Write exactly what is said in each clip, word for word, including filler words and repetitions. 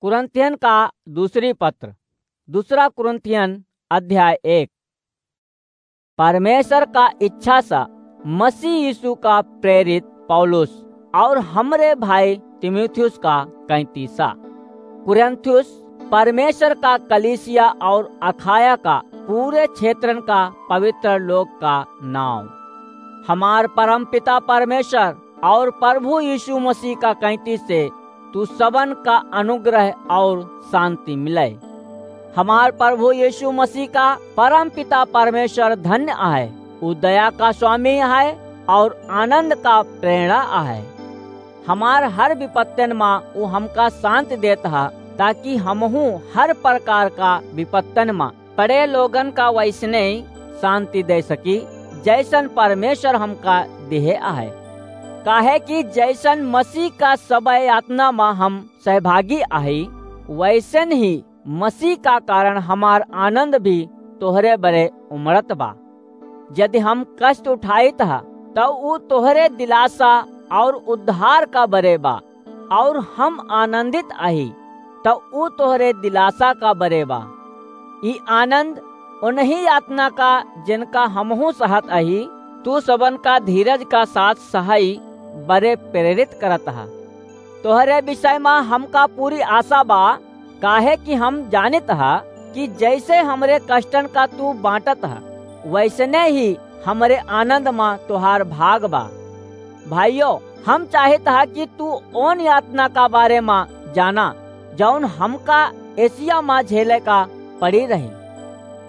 कुरिन्थियन का दूसरी पत्र, दूसरा कुरिन्थियन अध्याय एक। परमेश्वर का इच्छा सा मसीह यीशु का प्रेरित पौलुस और हमरे भाई तीमुथियुस का कैंतीसा। कुरिन्थियुस, परमेश्वर का कलीसिया और अखाया का पूरे क्षेत्रन का पवित्र लोग का नाम। हमार परमपिता परमेश्वर और प्रभु यीशु मसीह का कैंती से तू सबन का अनुग्रह और शांति मिले। हमार प्रभु यीशु मसीह का परमपिता परमेश्वर धन्य आहे। उ दया का स्वामी आहे और आनंद का प्रेरणा आहे। हमार हर विपत्तन मा उ हमका शांति देत हा, ताकि हमहू हर प्रकार का विपत्तन मा पड़े लोगन का वैसने शांति दे सकी, जैसन परमेश्वर हमका दिहे आहे। काहे कि जैसन मसीह का सब यातना मा हम सहभागी आही, वैसन ही मसीह का कारण हमार आनंद भी तोहरे बरे उमड़त बा। यदि हम कष्ट उठाइत हा, तउ उ तोहरे दिलासा और उद्धार का बरे बा, और हम आनंदित आही, तउ उ तोहरे दिलासा का बरे बा। ई आनंद उन्हीं यातना का, जिनका हमहू सहत आही, तू सबन का धीरज का साथ सहई बरे प्रेरित करत हा। तोहरे विषय मा हमका पूरी आशा बा, काहे कि हम जानित हा कि जैसे हमरे कष्टन का तू बांटत हा, वैसने ही हमरे आनंद मा तोहार भाग बा। भाइयों, हम चाहित हा कि तू ओन यातना का बारे मा जाना, जौन हमका एशिया मा झेले का पड़ी रही।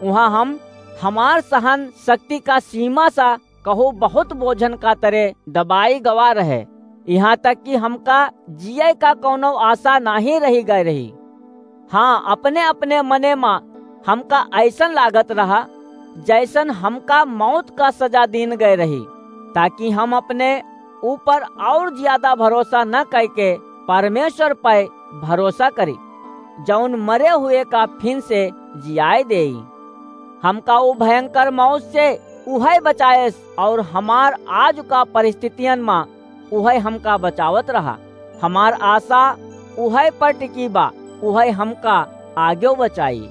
उहाँ हम हमार सहन शक्ति का सीमा सा कहू बहुत बोझन का तरे दबाई गवा रहे, यहाँ तक कि हमका जिए का कौनो आशा नाही रही गए रही। हाँ, अपने अपने मने मा हमका ऐसन लागत रहा, जैसन हमका मौत का सजा दीन गए रही, ताकि हम अपने ऊपर और ज्यादा भरोसा न करके परमेश्वर पे भरोसा करी, जौन मरे हुए का फिन से जियाए देई। हमका उ भयंकर मौत से उहै बचाएस, और हमार आज का परिस्थितियन मा उहै हमका बचावत रहा। हमार आशा उहै पर टिकी बा, उहै हमका आगे बचाई।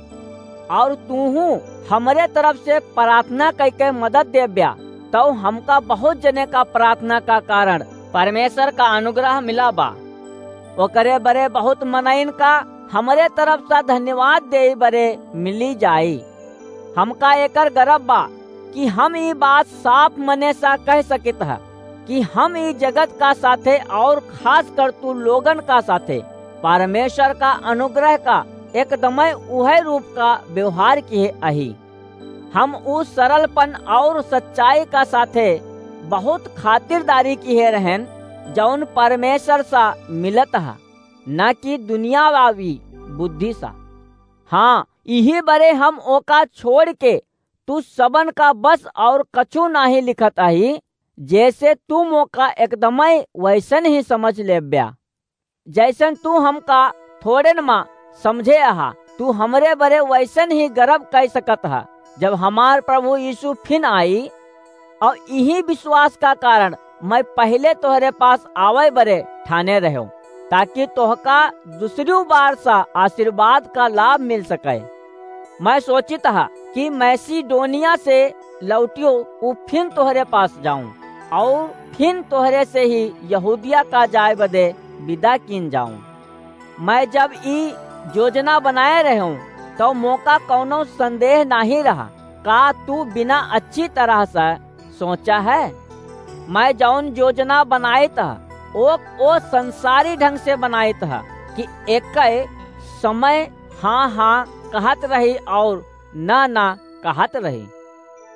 और तूहू हमरे तरफ से प्रार्थना करके मदद देब्या, तौ हमका बहुत जने का प्रार्थना का कारण परमेश्वर का अनुग्रह मिला बा। ओकरे बरे बहुत मनइन का हमरे तरफ से धन्यवाद देई बरे मिली जाई। हमका एकर गर्व बा कि हम ई बात साफ मने सा कह सकित ह कि हम ई जगत का साथे और खास कर तू लोगन का साथे परमेश्वर का अनुग्रह का एकदमै उहै रूप का व्यवहार किहे अही। हम उ सरलपन और सच्चाई का साथे बहुत खातिरदारी किहे रहेन, जौन परमेश्वर सा मिलत ह, न कि दुनियावी बुद्धि सा। हाँ, इही बरे हम ओका छोड़ के तू सबन का बस और कछु नाही लिखत अही, जैसे तू मोका एकदमै वैसन ही समझ लेब्या। जैसन तू हमका थोड़ेन मा समझे अहा, तू हमरे बरे वैसन ही गर्व कइ सकत ह। जब हमार प्रभु यीशु फिन आई, और इही विश्वास का कारण मैं पहले तोहरे पास आवै बरे ठाने रह्यो, ताकि तोहका दूसरी बार सा आशीर्वाद का लाभ मिल सके। मैं सोचित ह कि मैसिडोनिया से लौटियो उ फिन तोहरे पास जाऊं, और फिन तोहरे से ही यहूदिया का जाए बदे विदा कीन जाऊं। मैं जब ई योजना बनाए रह्यो, तौ मोका कौनो संदेह नाही रहा। का तू बिना अच्छी तरह से सोचा है? मैं जौन योजना बनाइत ह, ओ, ओ संसारी ढंग से बनाइत ह कि एकै समय हाँ, हाँ कहत रही और ना, ना कहत रही।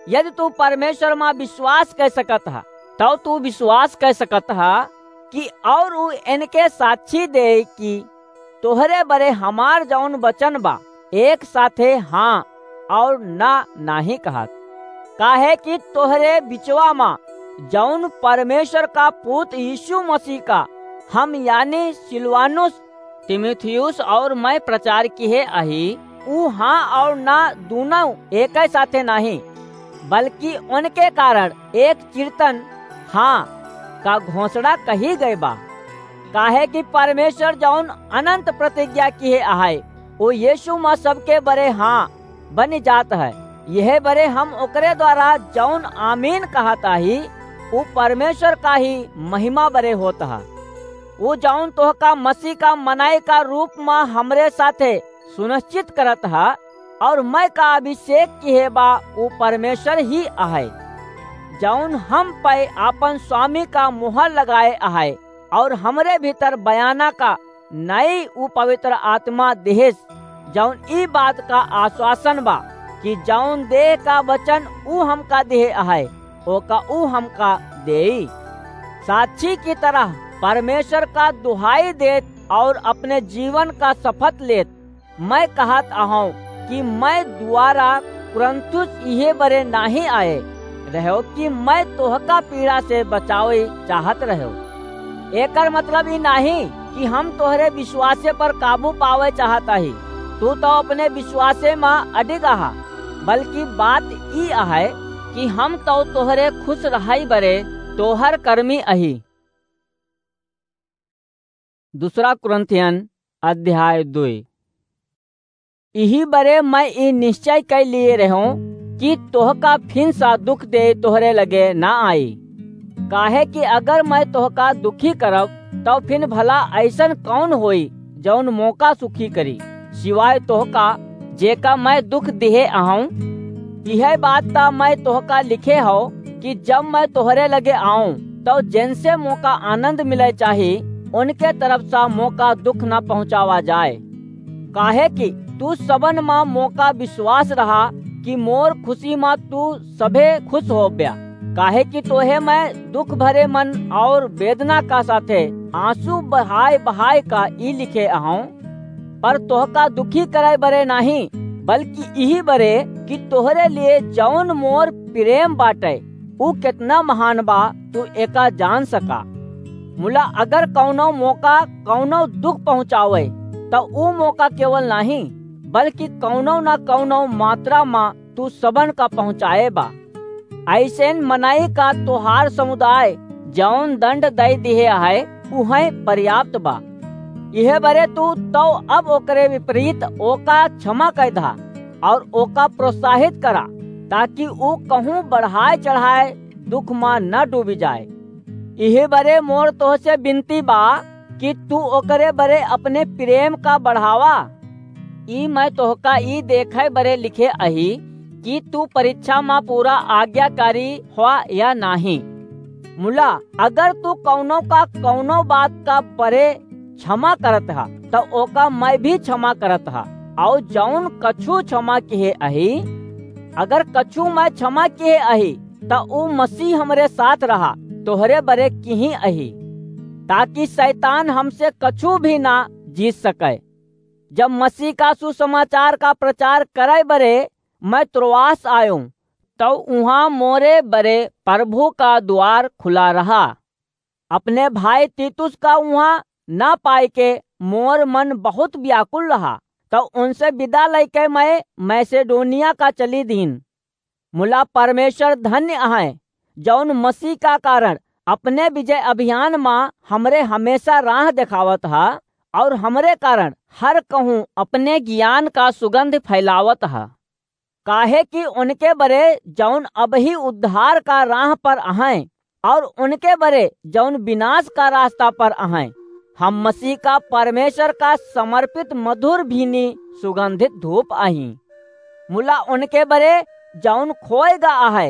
यदि तू परमेश्वर मा विश्वास कइ सकत ह, तौ तू विश्वास कइ सकत ह कि और उ इनके साक्षी दे कि तोहरे बरे हमार जौन वचन बा, एक साथे हाँ और ना नाही कहत। काहे कि तोहरे बिचवा मा जौन परमेश्वर का पूत यीशु मसीह का हम यानी सिलवानुस, तीमुथियुस और मैं प्रचार किहे अही, उ हाँ और ना दूनौ एकै साथे नाही, बल्कि उनके कारण एक चिरतन हाँ का घोषणा कही गए बा। काहे कि परमेश्वर जौन अनंत प्रतिज्ञा किहे अहै, उ यीशु म सबके बरे हाँ बनि जात है। यह बरे हम ओकरे द्वारा जौन आमीन कहत आही, उ परमेश्वर का ही महिमा बरे होत है। उ जौन तोहका मसीह का मनई का रूप म हमरे साथे सुनिश्चित करत है, और मैं का अभिषेक किहे बा, उ परमेश्वर ही अहै, जौन हम पे आपन स्वामी का मुहर लगाए अहै, और हमरे भीतर बयाना का नई उ पवित्र आत्मा दिहिस, जौन ई बात का आश्वासन बा कि जौन देह का वचन उ हमका दिहे अहै, ओका उ हमका देई। साक्षी की तरह परमेश्वर का दुहाई देत और अपने जीवन का शपथ लेत, मैं कहत अहौं कि मैं दुआरा कुरिन्थुस इहे बरे नाहीं आए रह्यो कि मैं तोहका पीड़ा से बचावे चाहत रह्यो। एकर मतलब ई नाहीं कि हम तोहरे विश्वासे पर काबू पावे चाहत आही। तू तो अपने विश्वासे म अडिग अहा, बल्कि बात ई अहै कि हम तो तोहरे खुश रहई बरे तोहर कर्मी अही। दूसरा कुरिन्थियन अध्याय दुई। इही बरे मैं ई निश्चय कइ लिए रह्यों कि तोहका फिन सा दुख दे तोहरे लगे ना आई। काहे कि अगर मैं तोहका दुखी करब, तब फिन भला ऐसन कौन होई, जौन मोका सुखी करी, सिवाय तोहका, जेका मैं दुख दिहे अहौं? इहे बात ता मैं तोहका लिखे हौ कि जब मैं तोहरे लगे आऊं, तब जेनसे मोका आनंद मिले चाही, उनके तरफ सा मोका दुख न पहुंचावा जाए। काहे कि तू सबन मा मोका विश्वास रहा कि मोर खुशी मा तू सभे खुश होब्या। काहे कि तोहे मैं दुख भरे मन और वेदना का साथे आंसू बहाय बहाय का ई लिखे अहौं, पर तोहका दुखी करे बरे नाहीं, बल्कि इही बरे कि तोहरे लिए जौन मोर प्रेम बाटे, उ केतना महान बा, तू एका जान सका। मुला अगर कौनो मोका कौनो दुख पहुँचावे, त उ मोका केवल नाहीं, बल्कि कौनो न कौनो मात्रा मा तू सबन का पहुँचाए बा। ऐसेन मनई का तोहार समुदाय जौन दंड दई दिहे है, उहै पर्याप्त बा। इहे बरे तू तौ अब ओकरे विपरीत ओका क्षमा कइ दहा और ओका प्रोत्साहित करा, ताकि उ कहूँ बढ़ाए चढ़ाए दुख मा न डूबी जाए। इहे बरे मोर तोहसे विनती बा कि तू ओकरे बरे अपने प्रेम का बढ़ावा। ई मैं तोहका ई देखे बरे लिखे अही कि तू परीक्षा मा पूरा आज्ञाकारी हुआ या नाहीं। मुला, अगर तू कौनो का कौनो बात का बरे क्षमा करत हा, त ओका मैं भी क्षमा करत हा। और जौन कछु क्षमा किहे अही, अगर कछु मैं क्षमा किहे अही, त उ मसीह हमरे साथ रहा, तोहरे बरे किही अही, ताकि शैतान हमसे कछु भी ना जीत सके। जब मसीह का सुसमाचार का प्रचार करे बरे मैं त्रोआस आयों, तौ उहाँ मोरे बरे प्रभु का द्वार खुला रहा। अपने भाई तीतुस का उहाँ ना पाए के मोर मन बहुत व्याकुल रहा, तौ उनसे विदा लइके मैं मैसेडोनिया का चली दीन। मुला परमेश्वर धन्य अहै, जौन मसीह का कारण अपने विजय अभियान मा हमरे हमेशा राह देखावत हा और हमरे कारण हर कहूँ अपने ज्ञान का सुगंध फैलावत हा। काहे कि उनके बरे जौन अबही उद्धार का राह पर अहैं और उनके बरे जौन विनाश का रास्ता पर अहैं, हम मसीह का परमेश्वर का समर्पित मधुर भीनी सुगंधित धूप अहीं। मुला उनके बरे जौन खोए गा अहै,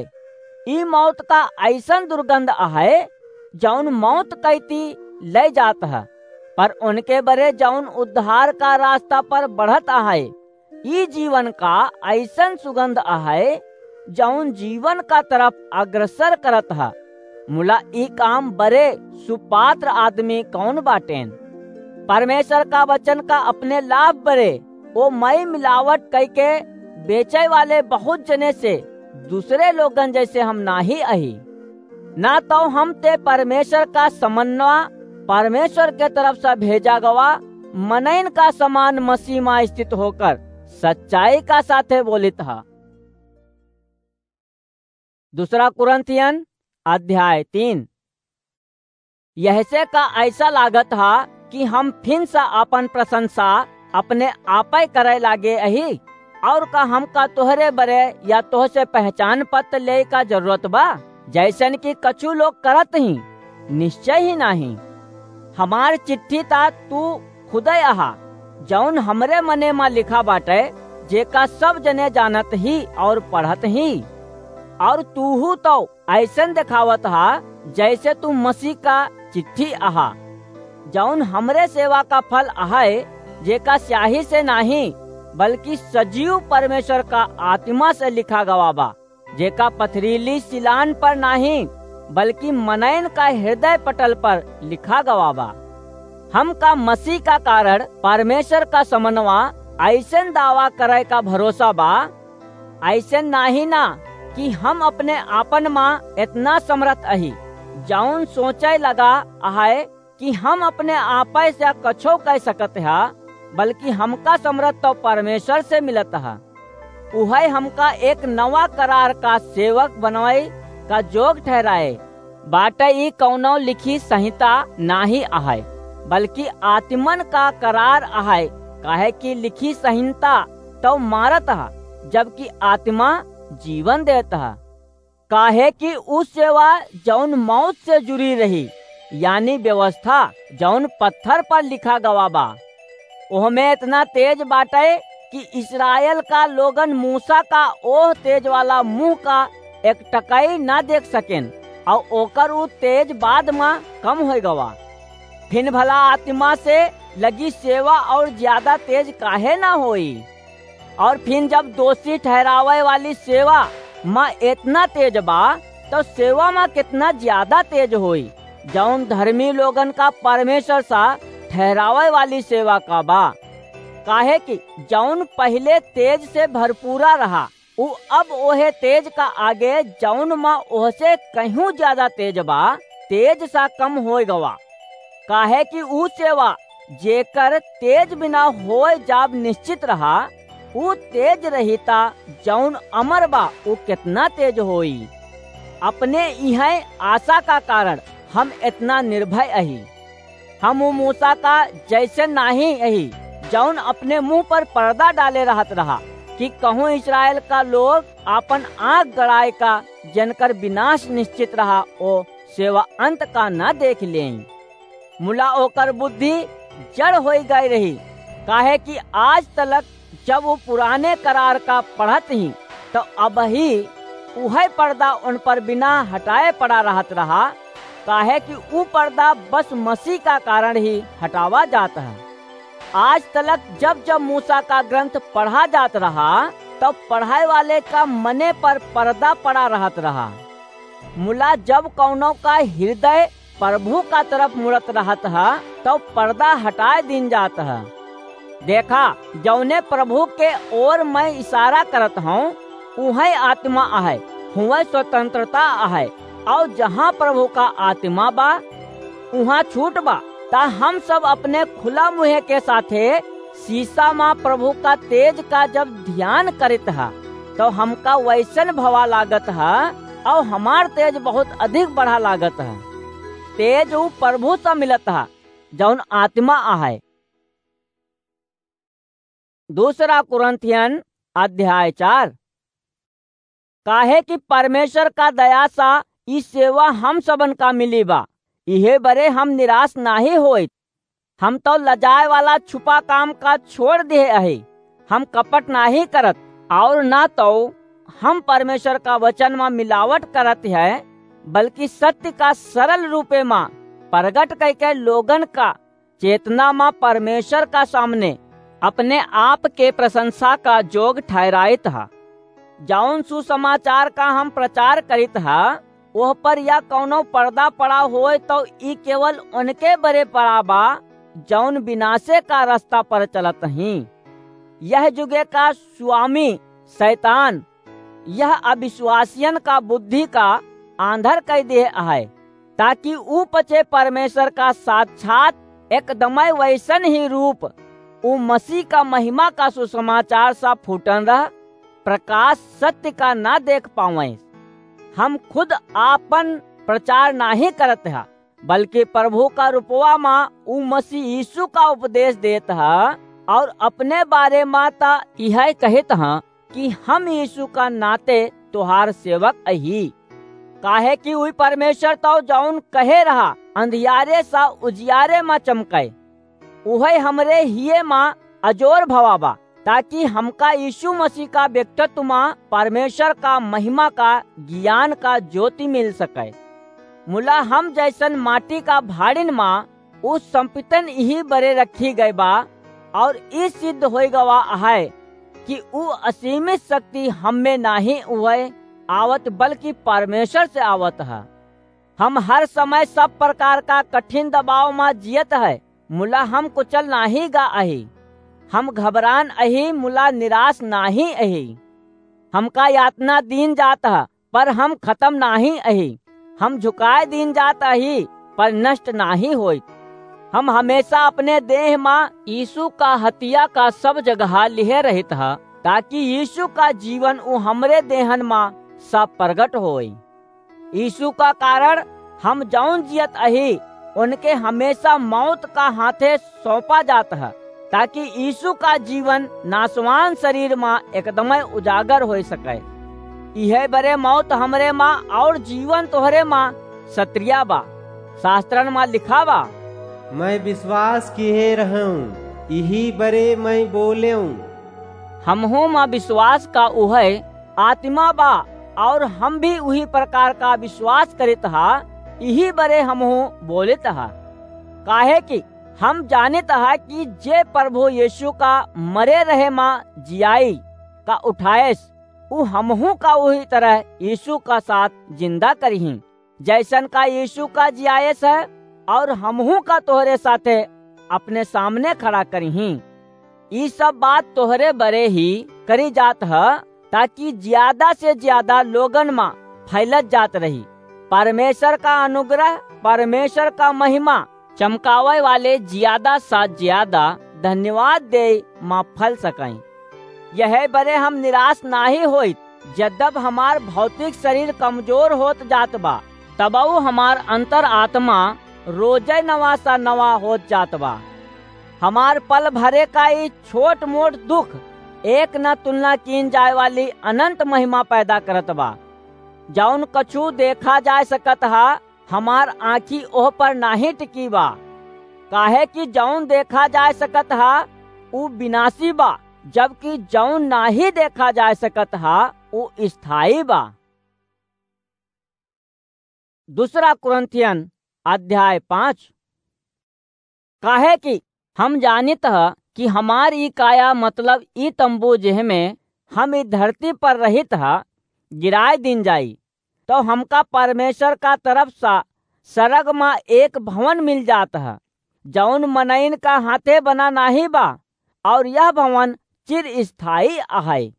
ई मौत का ऐसन दुर्गंध अहै, जौन मौत कैती ले जात है, पर उनके बरे जौन उद्धार का रास्ता पर बढ़त अहै, ई जीवन का ऐसन सुगंध अहै, जौन जीवन का तरफ अग्रसर करत ह। मुला ई काम बरे सुपात्र आदमी कौन बाटेन? परमेश्वर का वचन का अपने लाभ बरे ओ मई मिलावट कइके बेचे वाले बहुत जने से दूसरे लोगन जैसे हम नाही अही। ना तो हम ते परमेश्वर का समन्वा, परमेश्वर के तरफ से भेजा गवा मनइन का समान मसीह मा स्थित होकर सच्चाई का साथे बोलित हा। दूसरा कुरिन्थियन अध्याय तीन। यहसे का ऐसा लागत हा कि हम फिन से आपन प्रशंसा अपने आपै करै लागे अही? और का हमका तोहरे बरे या तोहसे पहचान पत्र लेइ का जरूरत बा, जैसन कि कछु लोग करत ही? निश्चय ही नाहीं। हमार चिट्ठी ता तू खुदै अहा, जौन हमरे मने मा लिखा बाटै, जेका सब जने जानत ही और पढ़त ही। और तूहू तौ ऐसन देखावत हा, जैसे तू मसीह का चिट्ठी अहा, जौन हमरे सेवा का फल अहै, जेका स्याही से नाहीं, बल्कि सजीव परमेश्वर का आत्मा से लिखा गवा बा, जेका पथरीली सिलान पर नाहीं, बल्कि मनैन का हृदय पटल पर लिखा गवा बा। हमका मसीह का कारण परमेश्वर का समनवा ऐसन दावा करै का भरोसा बा, ऐसन नाहीं ना कि हम अपने आपन मा एतना समरथ अही, जौन सोचै लगा अहै कि हम अपने आपै से कछो कै सकत हा, बल्कि हमका समरथ तौ परमेश्वर से मिलत हा। उहै हमका एक नवा करार का सेवक बनवै का जोग ठहराए बाटै। ई कौनो लिखी संहिता नाहीं अहै, बल्कि आत्मन का करार अहै, काहे कि लिखी संहिता तौ मारत हा, जबकि आत्मा जीवन देत हा। काहे कि ऊ सेवा जौन मौत से जुड़ी रही, यानी व्यवस्था जौन पत्थर पर लिखा गवा बा, ओहमे एतना तेज बाटै कि इस्राएल का लोगन मूसा का ओह तेज वाला मुँह का एक टकई ना देख सकेन, और ओकर ऊ तेज बाद मा कम होइ गवा। फिन भला आत्मा से लगी सेवा और ज्यादा तेज काहे ना होई? और फिन जब दोषी ठहरावै वाली सेवा मा एतना तेज बा, तौ सेवा मा केतना ज्यादा तेज होई, जौन धर्मी लोगन का परमेश्वर सा ठहरावै वाली सेवा का बा। काहे कि जौन पहिले तेज से भरपूरा रहा, ऊ अब ओहे तेज का आगे, जौन मा ओहसे कहीं ज्यादा तेज बा, तेज सा कम होइ गवा। काहे कि ऊ सेवा, जेकर तेज बिना होय जाब निश्चित रहा, ऊ तेज रहिता, जौन अमर बा, ऊ केतना तेज होई। अपने इहै आशा का कारण हम एतना निर्भय अही। हम ऊ मूसा का जैसे नाहीं अही, जौन अपने मुँह पर पर्दा डाले रहत रहा, कि कहूँ इस्राएल का लोग आपन आँख गड़ाए का, जेनकर विनाश निश्चित रहा, ओ सेवा अंत का न देख लें। मुला ओकर बुद्धि जड़ होई गई रही, काहे कि आज तलक जब ऊ पुराने करार का पढ़त ही, तो अबही उहै पर्दा उन पर बिना हटाए पड़ा रहत रहा, काहे कि ऊ पर्दा बस मसीह का कारण ही हटावा जात है। आज तलक जब जब मूसा का ग्रंथ पढ़ा जात रहा, तब पढ़ाए वाले का मने पर पर्दा पड़ा रहत रहा। मुला जब कौनो का हृदय प्रभु का तरफ मुड़त रहत ह, तब पर्दा हटाए दीन जात ह। देखा, जौने प्रभु के ओर मैं इशारा करत हूँ, उहै आत्मा अहै, हुवै स्वतंत्रता अहै, और जहाँ प्रभु का आत्मा बा, उहाँ छूट बा। ता हम सब अपने खुला मुँहे के साथे शीशा मा प्रभु का तेज का जब ध्यान करित ह, तो हमका वैसन भवा लागत ह, और हमार तेज बहुत अधिक बढ़ा लागत ह। तेज ऊ प्रभु से मिलत ह, जौन आत्मा अहै। दूसरा कुरिन्थियन अध्याय चार। काहे कि परमेश्वर का दया सा ई सेवा हम सबन का मिली बा, इहे बरे हम निराश नाहीं होइत। हम तो लजाए वाला छुपा काम का छोड़ दिहे अही। हम कपट नाहीं करत, और ना तो हम परमेश्वर का वचन मा मिलावट करत है, बल्कि सत्य का सरल रूपे मा प्रगट कइके लोगन का चेतना मा परमेश्वर का सामने अपने आप के प्रशंसा का जोग ठहराइत ह। जौन सुसमाचार का हम प्रचार करित ह, ओह पर या कौनो पर्दा पड़ा होय, तो ई केवल उनके बरे पड़ा बा, जौन विनाशे का रास्ता पर चलत ही। यह जुगे का स्वामी शैतान यह अविश्वासियन का बुद्धि का आंधर कइ दिहे अहै, ताकि ऊ पछे परमेश्वर का साक्षात एकदमै वैसन ही रूप, ऊ मसीह का महिमा का सुसमाचार सा फूटन रह प्रकाश सत्य का ना देख पावैं। हम खुद आपन प्रचार नाहीं करत ह, बल्कि प्रभु का रूपवा मा ऊ मसीह यीशु का उपदेश देत ह, और अपने बारे मा त इहै कहित ह कि हम यीशु का नाते तोहार सेवक अही। काहे कि उई परमेश्वर तौ जौन कहे रहा, "अंधियारे सा उजियारे मा चमकै," उहै हमरे हिये मा अजोर भवा बा, ताकि हमका यीशु मसीह का व्यक्तित्व मा परमेश्वर का महिमा का ज्ञान का ज्योति मिल सकै। मुला हम जैसन माटी का भाड़िन मा ऊ संपितन इही बरे रखी गए बा, और ई सिद्ध होई गवा अहै कि ऊ असीमित शक्ति हम्मे नाहीं उहै आवत, बल्कि परमेश्वर से आवत ह। हम हर समय सब प्रकार का कठिन दबाव मा जियत है, मुला हम कुचल नाहीं गा अही। हम घबरान अही, मुला निराश नाहीं अही। हमका यातना दीन जात ह, पर हम खतम नाहीं अही। हम झुकाए दीन जात अही, पर नष्ट नाहीं होइत। हम हमेशा अपने देह मा यीशु का हतिया का सब जगहा लिहे रहित ह, ताकि यीशु का जीवन ऊ हमरे देहन मा सब प्रगट होई। यीशु का कारण हम जौन जियत अही, उनके हमेशा मौत का हाथे सौंपा जात ह, ताकि यीशु का जीवन नासवान शरीर मा एकदमै उजागर होई सकै। इहै बरे मौत हमरे मा और जीवन तोहरे मा सत्रिया बा। शास्त्रन मा लिखा बा, "मैं विश्वास किहे रहूं, इही बरे मैं बोलेऊं।" हमहू मा विश्वास का उहै आत्मा बा, और हम भी उही प्रकार का विश्वास करित हा, इही बरे हमहू बोलित हा। काहे कि हम जानित हा कि जे प्रभु यीशु का मरे रहे मा जियाई का उठाएस, उ हमहू का उही तरह यीशु का साथ जिंदा करिहीं। जैसन का यीशु का जियाएस है, और हमहू का तोहरे साथे अपने सामने खड़ा करिहीं। ई सब बात तोहरे बरे ही करी जात ह, ताकि ज्यादा से ज्यादा लोगन मा फैलत जात रही। परमेश्वर का अनुग्रह, परमेश्वर का महिमा चमकावे वाले ज्यादा सा ज्यादा धन्यवाद दे मा फैल सकें। यह बरे हम निराश नाहीं होइत, जद्यप हमार भौतिक शरीर कमजोर होत जात बा, तबहु हमार अंतर आत्मा रोजे नवा सा नवा होत जात बा। हमार पल भरे का ई छोट मोट दुख एक न तुलना कीन जाए वाली अनंत महिमा पैदा करत बा। जौन कछु देखा जा सकत हा, हमार आँखी ओह पर नाहीं टिकी बा। काहे कि जौन देखा जा सकत हा, उ विनाशी बा, जबकि जौन नाहीं देखा जा सकत हा, उ स्थायी बा। दूसरा कुरिन्थियन अध्याय पाँच। काहे कि हम जानित ह कि हमार ई काया, मतलब ई तंबू, जेहमे हम ई धरती पर रहित ह, गिराए दीन जाई, तो हमका परमेश्वर का तरफ सा सरग मा एक भवन मिल जात ह, जौन मनइन का हाथे बना नाहीं बा, और यह भवन चिरस्थायी अहै।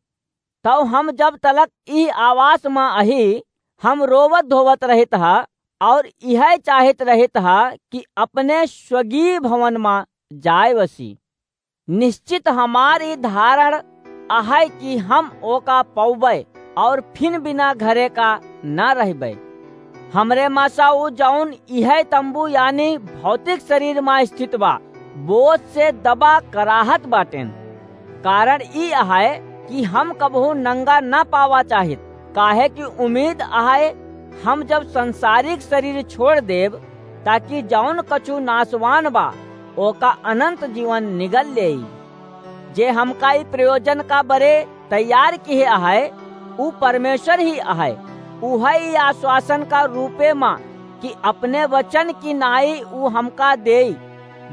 तब हम जब तलक ई आवास मा अही, हम रोवत धोवत रहित ह, और इहै चाहित रहित ह कि अपने स्वगीय भवन मा जाए वसी। निश्चित हमार ई धारण अहै कि हम ओका पौबै और फिन बिना घरे का ना रहबै। हमरे मा सा उ जौन इहै तंबू यानी भौतिक शरीर मा स्थित बा, बोझ से दबा कराहत बाटेन। कारण ई अहै कि हम कबहू नंगा ना पावा चाहित, काहे कि उम्मीद अहै हम जब संसारिक शरीर छोड़ देब, ताकि जौन कछु नासवान बा, ओका अनंत जीवन निगल लेई। जे हमका ई प्रयोजन का बरे तैयार किहे अहै, उ परमेश्वर ही अहै। उहै ई आश्वासन का रूपे मा कि अपने वचन की नाई उ हमका देई,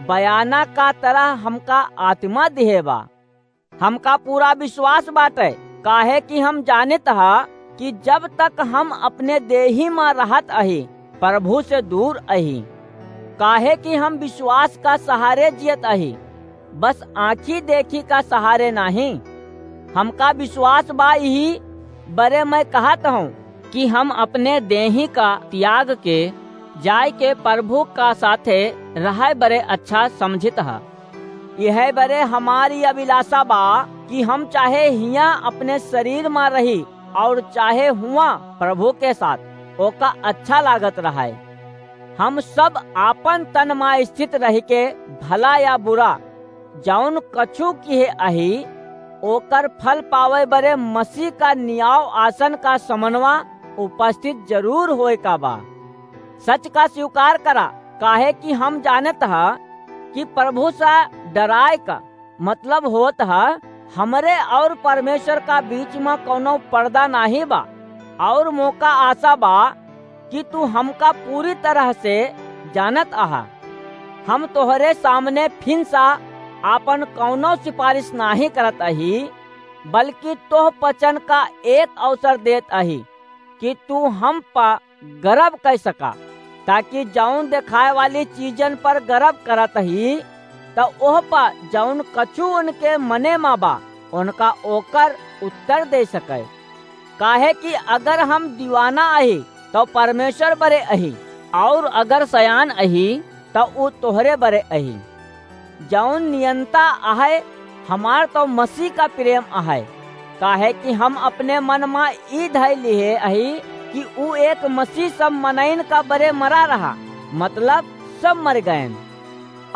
बयाना का तरह हमका आत्मा दिहे बा। हमका पूरा विश्वास बाटै, काहे कि हम जानित ह कि जब तक हम अपने देही मा रहत अही, प्रभु से दूर अही। काहे कि हम विश्वास का सहारे जियत अही, बस आँखी देखी का सहारे नाहीं। हमका विश्वास बा, इही बरे मैं कहत हूँ कि हम अपने देही का त्याग के जाय के प्रभु का साथे रहै बरे अच्छा समझित ह। यह बरे हमारी अभिलाषा बा कि हम चाहे हियाँ अपने शरीर मा रही और चाहे हुआँ प्रभु के साथ, ओका अच्छा लागत रहै। हम सब आपन तन मा स्थित रहिके भला या बुरा, जौन कछु किहे अही, ओकर फल पावै बरे मसीह का नियाव आसन का समनवा उपस्थित जरूर होए का बा। सच का स्वीकार करा, काहे कि हम जानत ह कि प्रभु सा डराए का मतलब होत ह, हमरे और परमेश्वर का बीच मा कौनो पर्दा नाहीं बा, और मोका आशा बा कि तू हमका पूरी तरह से जानत अहा। हम तोहरे सामने फिन सा आपन कौनो सिफारिश नाहीं करत अही, बल्कि तोह पचन का एक अवसर देत अही कि तू हम पा गर्व कर सका, ताकि जौन देखाए वाली चीजन पर गर्व करत ही, त ओह पा जौन कछु उनके मने मा बा, उनका ओकर उत्तर दे सके। काहे कि अगर हम दीवाना अही, तो परमेश्वर बरे अही, और अगर सयान अही, तो ऊ तोहरे बरे अही। जौन नियंता अहै, हमार तो मसीह का प्रेम अहै, काहे कि हम अपने मन मा ई धइ लिहे अही कि ऊ एक मसीह सब मनइन का बरे मरा रहा, मतलब सब मर गएन।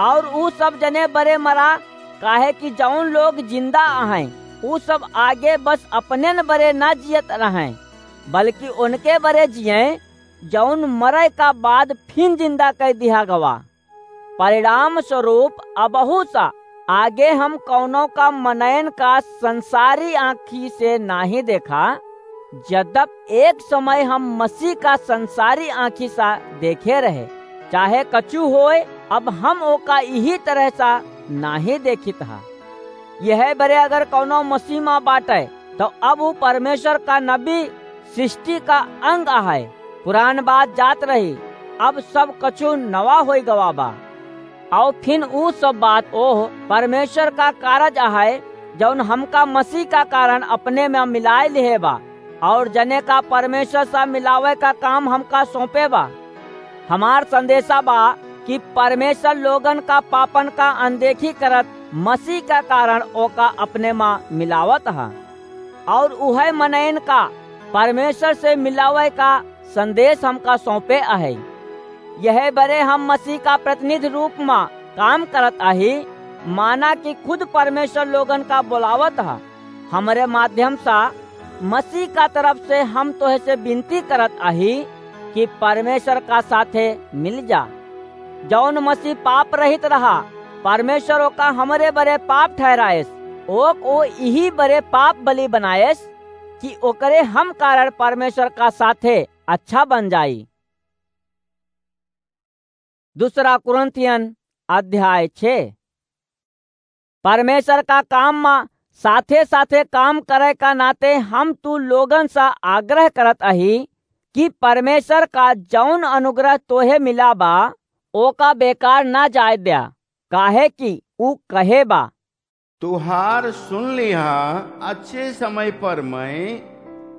और ऊ सब जने बरे मरा, काहे कि जौन लोग जिंदा अहैं, ऊ सब आगे बस अपनेन बरे ना जियत रहैं, बल्कि उनके बरे जियैं, जौन मरै का बाद फिन जिंदा कै दिहा गवा। परिणाम स्वरूप अबहू सा आगे हम कौनो का मनयन का संसारी आँखी से नाहीं देखा, जदप एक समय हम मसीह का संसारी आँखी सा देखे रहे। चाहे कछु होय, अब हम ओका इही तरह सा नाहीं देखित हा। यह बरे अगर कौनो मसीह मा बाटै, तो अब ऊ परमेश्वर का नबी सृष्टि का अंग अहै। पुरान बात जात रही, अब सब कछु नवा होई गवा बा। और फिन ऊ सब बात ओह परमेश्वर का कारज अहै, जौन हमका मसीह का कारण अपने मा मिलाए लिहे बा, और जने का परमेश्वर सा मिलावै का काम हमका सौंपे बा। हमार संदेशा बा कि परमेश्वर लोगन का पापन का अनदेखी करत मसीह का कारण ओका अपने मा मिलावत ह, और उहै मनयन का परमेश्वर से मिलावै का संदेश हमका सौंपे अहै। यह बरे हम मसीह का प्रतिनिधि रूप मा काम करत अही, माना कि खुद परमेश्वर लोगन का बोलावत ह। हमरे माध्यम सा मसीह का तरफ से हम तोहे से विनती करत अही कि परमेश्वर का साथे मिल जा। जौन मसीह पाप रहित रहा, परमेश्वर ओका हमरे बरे पाप ठहराएस, ओक ओ इही बरे पाप बलि बनाएस कि ओकरे हम कारण परमेश्वर का साथे अच्छा बन जाई। दूसरा कुरिन्थियन अध्याय छह। परमेश्वर का काम मा साथे-साथे काम करै का नाते हम तू लोगन सा आग्रह करत अही कि परमेश्वर का जौन अनुग्रह तोहे मिला बा, ओका बेकार ना जाए द्या, काहे कि ऊ कहे बा, तुहार सुन लिहा, अच्छे समय पर मैं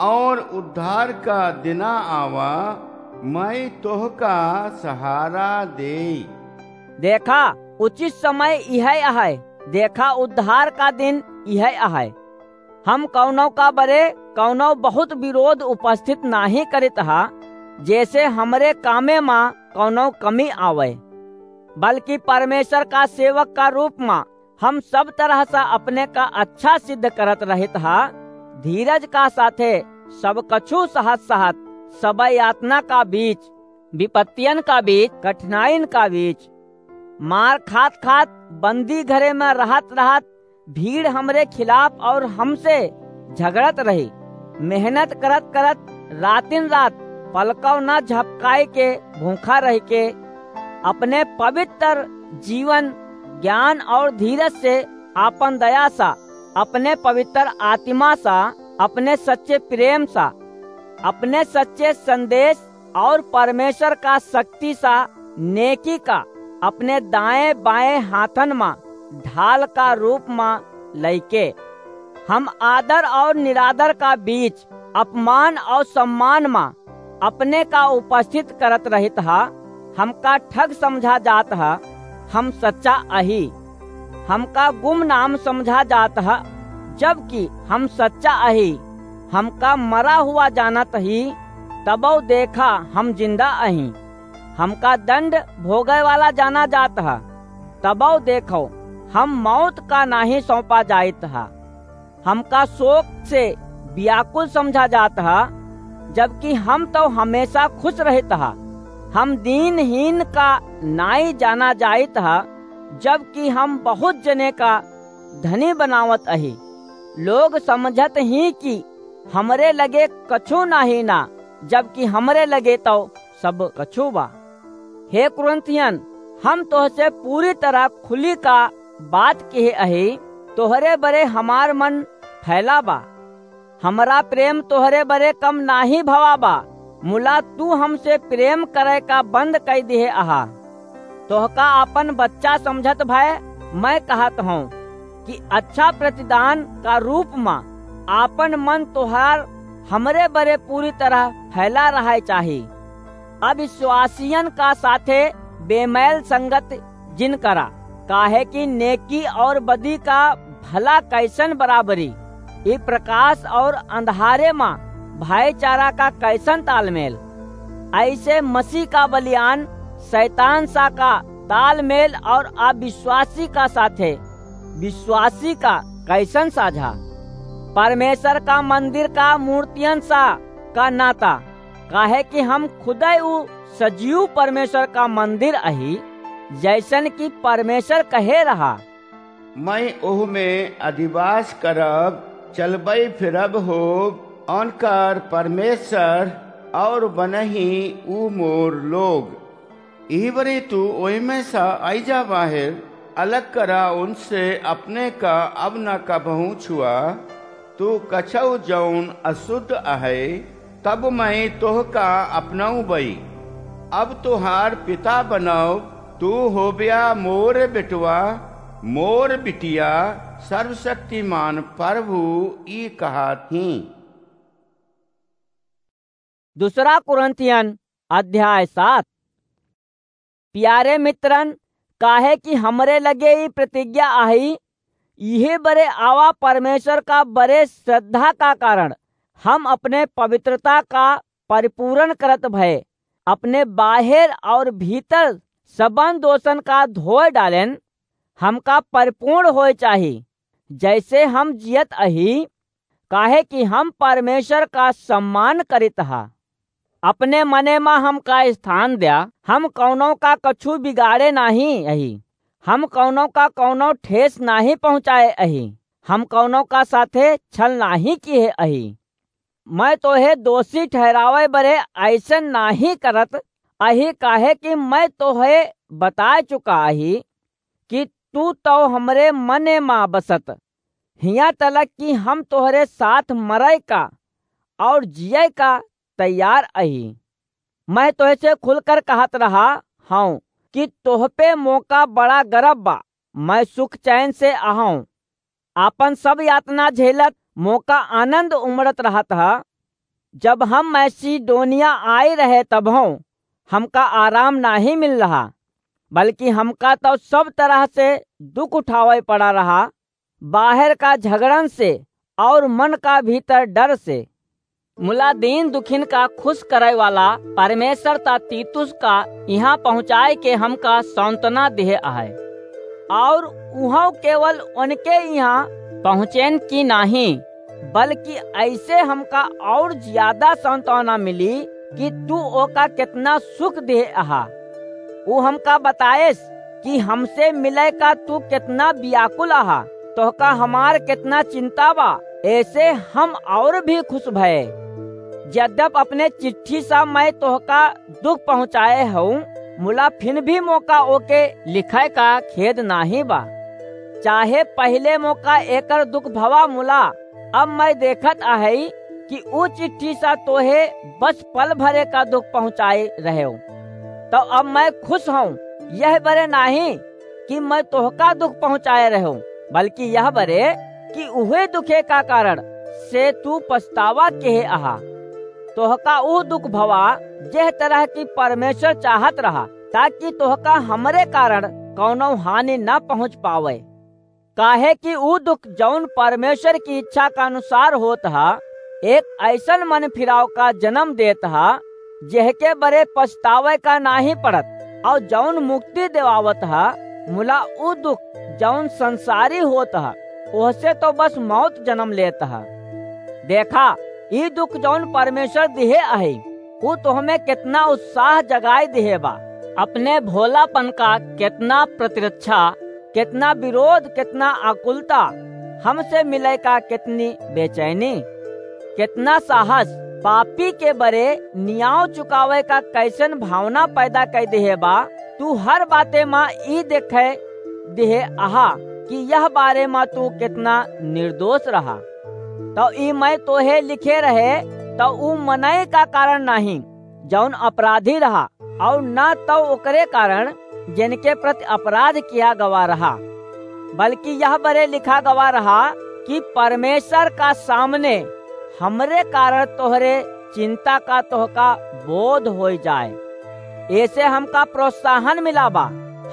और उद्धार का दिना आवा, मैं तोहका सहारा देई। देखा, उचित समय इहै अहै, देखा, उद्धार का दिन इहै अहै। हम कौनो का बरे कौनो बहुत विरोध उपस्थित नाहीं करित हा, जैसे हमरे कामे मा कौनो कमी आवै, बल्कि परमेश्वर का सेवक का रूप मा हम सब तरह सा अपने का अच्छा सिद्ध करत रहित हा, धीरज का साथे सब कछु सहत सहत, सब यातना का बीच, विपत्तियन का बीच, कठिनाइन का बीच, मार खात खात, बंदी घरे मा रहत रहत, भीड़ हमरे खिलाफ और हमसे झगड़त रही। मेहनत करत करत रातिन रात पलकौ ना झपकाए के भूखा रह के अपने पवित्र जीवन, ज्ञान और धीरज से, आपन दया सा, अपने पवित्र आत्मा सा, अपने सच्चे प्रेम सा, अपने सच्चे संदेश और परमेश्वर का शक्ति सा नेकी का अपने दाएं बाएं हाथन मा ढाल का रूप मा लइके हम आदर और निरादर का बीच, अपमान और सम्मान मा अपने का उपस्थित करत रहित हा। हमका ठग समझा जात हा, हम सच्चा अही। हमका गुमनाम समझा जात ह, जबकि हम सच्चा अही। हमका मरा हुआ जानत ही, तबौ देखा हम जिंदा अही। हमका दंड भोगे वाला जाना जात ह। तबौ देखो, हम मौत का नाहीं सौंपा जाइत ह। हमका शोक से व्याकुल समझा जात ह, जबकि हम तौ हमेशा खुश रहित ह। हम दीनहीन का नाई जाना जाइत ह, जबकि हम बहुत जने का धनी बनावत अही। लोग समझत ही कि हमरे लगे कछु नाहीं ना, जबकि हमरे लगे तौ सब कछु बा। हे कुरिन्थियन, हम तोहसे पूरी तरह खुली का बात किहे अही, तोहरे बरे हमार मन फैला बा। हमरा प्रेम तोहरे बरे कम नाहीं भवा बा, मुला तू हमसे प्रेम करे का बंद कइ दिहे अहा। तोहका आपन बच्चा समझत भय मैं कहत हौं कि अच्छा प्रतिदान का रूप मा आपन मन तोहार हमरे बरे पूरी तरह फैला रहै चाही। अविश्वासियन का साथे बेमैल संगत जिन करा, काहे कि नेकी और बदी का भला कैसन बराबरी? ई प्रकाश और अंधारे मा भाईचारा का कैसन तालमेल? ऐसे मसीह का बलियान शैतान सा का तालमेल और अविश्वासी का साथे विश्वासी का कैसन साझा? परमेश्वर का मंदिर का मूर्तियन सा का नाता, काहे कि हम खुदै उ सजीव परमेश्वर का मंदिर अही, जैसन कि परमेश्वर कहे रहा। मैं ओह में अधिवास करब, चलबै फिरब होब, उनकर परमेश्वर और बनही ऊ मोर लोग। इही बरे तू ओहिमे सा आई जा बाहेर, अलग करा उनसे अपने का अब न कबहूँ छुआ। तू कछऊ जौन अशुद्ध अहै, तब मैं तोहका अपनउबई। अब तोहार पिता बनब, तू होब्या मोर बेटवा, मोर बिटिया, सर्वशक्तिमान प्रभु ई कहत ही। दूसरा कुरिन्थियन अध्याय सात। प्यारे मित्रन, काहे कि हमरे लगे ई प्रतिज्ञा अही, इहे बरे आवा परमेश्वर का बरे श्रद्धा का कारण हम अपने पवित्रता का परिपूरण करत भए, अपने बाहेर और भीतर सबन दोषन का धोए डालेन। हमका परिपूर्ण होए चाही, जैसे हम जियत अही, काहे कि हम परमेश्वर का सम्मान करित हा। अपने मने मा हमका स्थान द्या, हम कौनो का कछु बिगाड़े नाहीं अही, हम कौनो का कौनो ठेस नाहीं पहुँचाए अही, हम कौनो का साथे छल नाहीं किहे अही। मैं तोहे दोषी ठहरावे बरे ऐसन नाहीं करत अही, काहे कि मैं तोहे बताए चुका अही कि तू तौ हमरे मने मा बसत, हियाँ तलक कि हम तोहरे साथ मरय का और जियय का तैयार अही। मैं तोहसे खुलकर कहत रहा हौं कि तोहपे मोका बड़ा गरब बा, मैं सुख चैन से अहौं। आपन सब यातना झेलत मोका आनंद उमड़त रहत ह। जब हम मैसिडोनिया आए रहे तबहौं हमका आराम नाहीं मिल रहा, बल्कि हमका तौ सब तरह से दुख उठावे पड़ा रहा, बाहर का झगड़न से और मन का भीतर डर से। मुला दीन दुखिन का खुश करे वाला परमेश्वर ता तीतुस का इहाँ पहुँचाए के हमका सांत्वना दिहे आहे। और उहाँ केवल उनके इहाँ पहुँचेन की नाहीं, बल्कि ऐसे हमका और ज्यादा सांत्वना मिली कि तू ओका कितना सुख दिहे अहा। ऊ हमका बताएस कि हमसे मिले का तू कितना व्याकुल अहा, तोहका हमार कितना चिंता बा। ऐसे हम और भी खुश भए। यद्यप अपने चिट्ठी सा मैं तोहका दुख पहुँचाए हूँ, मुला फिन भी मोका ओके लिखे का खेद नाहीं बा। चाहे पहिले मोका एकर दुख भवा मुला, अब मैं देखत अहई कि ऊ चिट्ठी सा तोहे बस पल भरे का दुख पहुँचाए रहेव। तो अब मैं खुश हूँ, यह बरे नाहीं कि मैं तोहका दुख पहुँचाए रहेव, बल्कि यह बरे कि उहे दुखे का कारण से तू पछतावा केहे अहा। तोहका ऊ दुख भवा, जेह तरह की परमेश्वर चाहत रहा, ताकि तोहका हमरे कारण कौनो हानि न पहुँच पावे। काहे कि ऊ दुख जौन परमेश्वर की इच्छा का अनुसार होत ह, एक ऐसन मन फिराव का जन्म देत ह, जेहके बरे पछतावे का नाहीं पड़त, और जौन मुक्ति देवावत ह, मुला उ दुख जौन संसारी होत ह, ओहसे तो बस मौत जन्म लेत ह। देखा, ई दुख जौन परमेश्वर दिहे अहइ, उ तोहमे केतना उत्साह जगाए दिहे बा। अपने भोलापन का केतना प्रतिरक्षा, केतना विरोध, केतना आकुलता, हमसे मिले का केतनी बेचैनी, केतना साहस, पापी के बरे नियाव चुकावे का कैसन भावना पैदा कै दिहे बा। तू हर बाते मा ई देखे दिहे अहा कि यह बारे मा तू केतना निर्दोष रहा। तो ई मैं तोहे लिखे रहे, तो ऊ मनई का कारण नाहीं, जौन अपराधी रहा, और न तो ओकरे कारण, जिनके प्रति अपराध किया गवा रहा, बल्कि यह बरे लिखा गवा रहा कि परमेश्वर का सामने हमरे कारण तोहरे चिंता का तोहका बोध होई जाए। ऐसे हमका प्रोत्साहन मिला बा।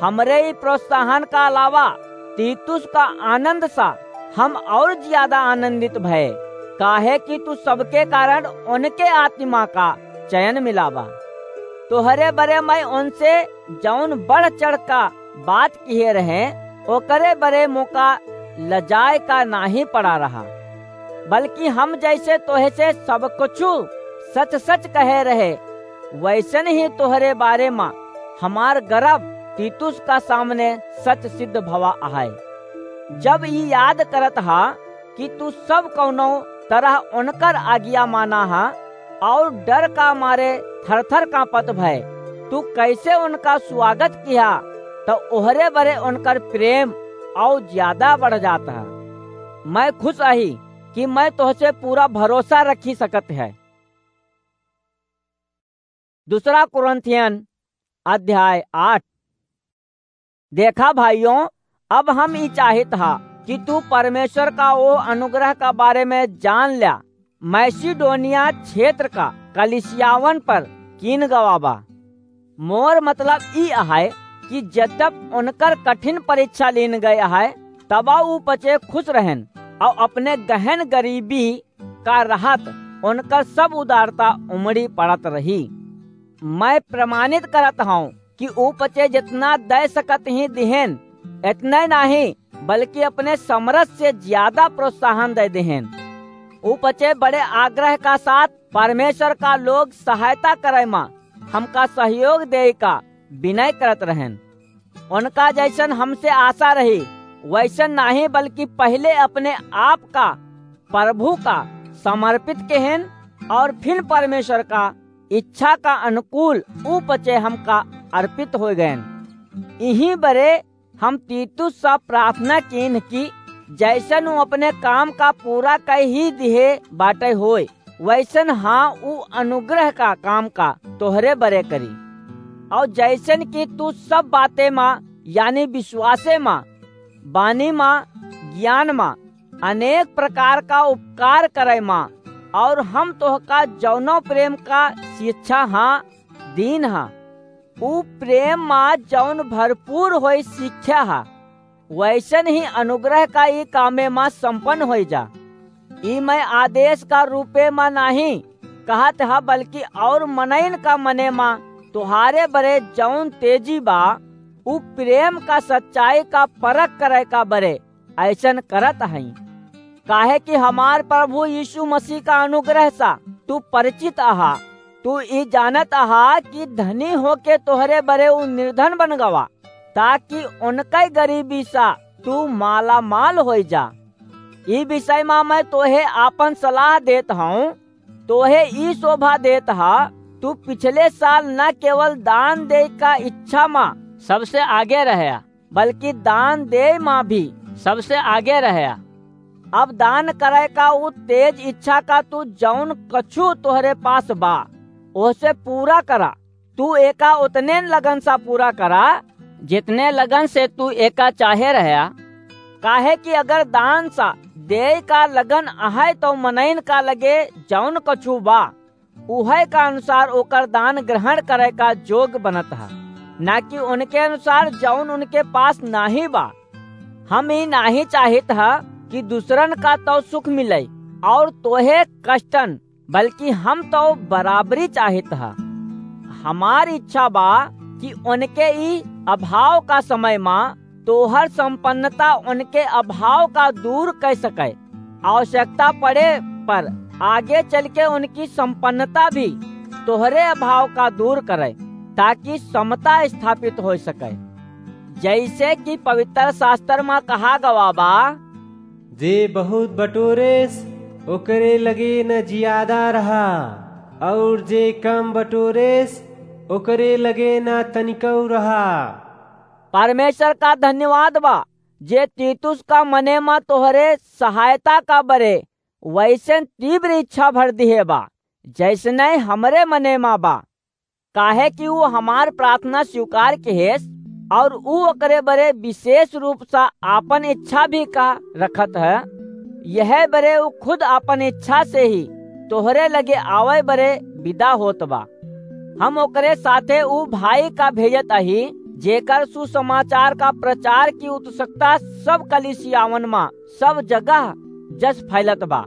हमरे ई प्रोत्साहन का अलावा तीतुस का आनंद सा हम और ज्यादा आनंदित भए, काहे कि तू सबके कारण उनके आत्मा का चयन मिला बा। तोहरे बरे मैं उनसे जौन बढ़ चढ़ का बात किहे रहे, ओकरे बरे मोका लजाए का नाहीं पड़ा रहा, बल्कि हम जैसे तोहे से सब कुछु सच सच कहे रहे, वैसन ही तोहरे बारे मा हमार गर्व तीतुस का सामने सच सिद्ध भवा अहइ। जब ई याद करत हा कि तू सब कौनो तरह उनकर आज्ञा माना हा और डर का मारे थर-थर कांपत भय, तू कैसे उनका स्वागत किहा, तो ओहरे बरे उनकर प्रेम और ज्यादा बढ़ जात हा। मैं खुश अही कि मैं तोहसे पूरा भरोसा रखी सकत है। दूसरा कुरिन्थियन अध्याय आठ। देखा भाइयों, अब हम ई चाहित हा कि तू परमेश्वर का ओ अनुग्रह का बारे में जान ल्या, मैसिडोनिया क्षेत्र का कलिसियावन पर कीन गवा बा। मोर मतलब ई अहइ कि जब उनकर कठिन परीक्षा लीन गए अहइ, तबा ऊ पचे खुश रहन और अपने गहन गरीबी का रहत उनकर सब उदारता उमड़ी पड़त रही। मैं प्रमाणित करत हूँ कि ऊ पचे जितना दे सकत ही दिहेन, इतने नाहीं, बल्कि अपने समरथ से ज्यादा प्रोत्साहन दे दिहेन। ऊ पचे बड़े आग्रह का साथ परमेश्वर का लोग सहायता करे मा हमका सहयोग दे का विनय करत रहन। उनका जैसन हमसे आशा रही, वैसन नाहीं, बल्कि पहले अपने आप का प्रभु का समर्पित केहेन और फिर परमेश्वर का इच्छा का अनुकूल ऊ पचे हमका अर्पित हो गएन। इही बरे हम तीतुस सा प्रार्थना कीन कि जैसन ऊ अपने काम का पूरा कइ ही दिहे बाटे होय, वैसन हाँ ऊ अनुग्रह का काम का तोहरे बरे करी। और जैसन कि तू सब बाते मा, यानी विश्वासे मा, बानी मा, ज्ञान मा, अनेक प्रकार का उपकार करे मा, और हम तोहका जौनो प्रेम का शिक्षा हाँ दीन हा, ऊ प्रेम मा जौन भरपूर होई शिक्षा हा, वैसन ही अनुग्रह का ई कामे मा संपन्न होई जा। ई मैं आदेश का रूपे मा नाहीं कहत हा, बल्कि और मनइन का मने मा तुहारे बरे जौन तेजी बा, ऊ प्रेम का सच्चाई का परख करे का बरे ऐसन करत हई। काहे कि हमार प्रभु यीशु मसीह का अनुग्रह सा तू परिचित अहा। तू ई जानत अहा कि धनी होके तोहरे बरे ऊ निर्धन बन गवा, ताकि उनके गरीबी सा तू मालामाल होई जा। ई विषय मा मैं तोहे आपन सलाह देत हूँ, तोहे ई शोभा देत हा, तू पिछले साल न केवल दान दे का इच्छा मा सबसे आगे रहया, बल्कि दान दे मा भी सबसे आगे रहया। अब दान करे का उ तेज इच्छा का तू जौन कछु तोहरे पास बा, ओसे पूरा करा। तू एका उतने लगन सा पूरा करा, जितने लगन से तू एका चाहे रहया। काहे कि अगर दान सा दे का लगन अहै, तो मनइन का लगे जौन कछु बा, उहै का अनुसार ओकर दान ग्रहण करे का जोग बनत ह, ना कि उनके अनुसार जौन उनके पास नाहीं बा। हम ई नाहीं चाहित ह कि दूसरन का तो सुख मिले और तोहे कष्टन, बल्कि हम तो बराबरी चाहित ह। हमार इच्छा बा कि उनके ई अभाव का समय मा तोहर संपन्नता उनके अभाव का दूर कर सके। आवश्यकता पड़े पर आगे चल के उनकी संपन्नता भी तोहरे अभाव का दूर करे, ताकि समता स्थापित हो सके। जैसे कि पवित्र शास्त्र मा कहा गवा बा, "जे बहुत बटोरेस, ओकरे लगे न जियादा रहा, और जे कम बटोरेस, ओकरे लगे न तनिकौ रहा।" परमेश्वर का धन्यवाद बा, जे तीतुस का मने मा तोहरे सहायता का बरे वैसन तीव्र इच्छा भर दिहे बा, जैसने हमरे मने मा बा। काहे कि ऊ हमार प्रार्थना स्वीकार किहेस, और ऊ ओकरे बरे विशेष रूप से आपन इच्छा भी का रखत है। यह बरे ऊ खुद आपन इच्छा से ही तोहरे लगे आवे बरे विदा होत बा। हम ओकरे साथे ऊ भाई का भेजत अही, जेकर सुसमाचार का प्रचार की उत्सुकता सब कलीसियावन मा सब जगह जस फैलत बा।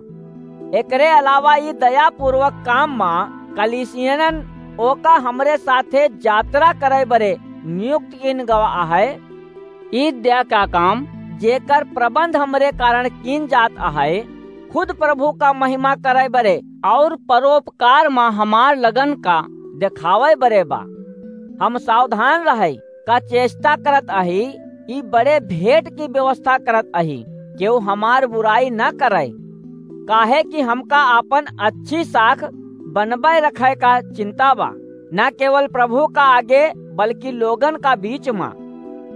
एकरे अलावा ई दयापूर्वक काम मा कलीसियनन ओका हमरे साथे यात्रा करे बरे नियुक्त किन गवा है। ई दया का काम, जेकर प्रबंध हमरे कारण किन जात है, खुद प्रभु का महिमा करे बरे और परोपकार मा हमार लगन का देखावे बरे बा। हम सावधान रहे का चेष्टा करत अही, ई बड़े भेंट की व्यवस्था करत अही, केहू हमार बुराई न करे, काहे कि हमका आपन अच्छी साख बनबे रखे का चिंता बा, न केवल प्रभु का आगे, बल्कि लोगन का बीच मा।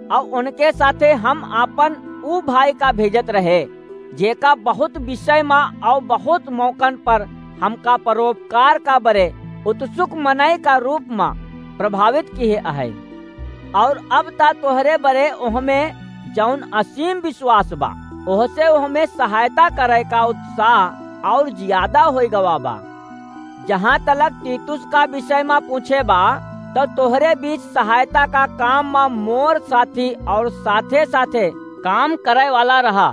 और उनके साथे हम आपन ऊ भाई का भेजत रहे, जेका बहुत विषय मा और बहुत मौकन पर हमका परोपकार का बरे उत्सुक मनई का रूप मा प्रभावित किहे अहै। और अब ता तोहरे बरे ओहमे जौन असीम विश्वास बा, ओहसे ओहमे सहायता करे का उत्साह और ज्यादा होई गवा बा। जहाँ तलक तीतुस का विषय मा पूछे बा, तो तोहरे बीच सहायता का काम मा मोर साथी और साथे साथे काम करे वाला रहा।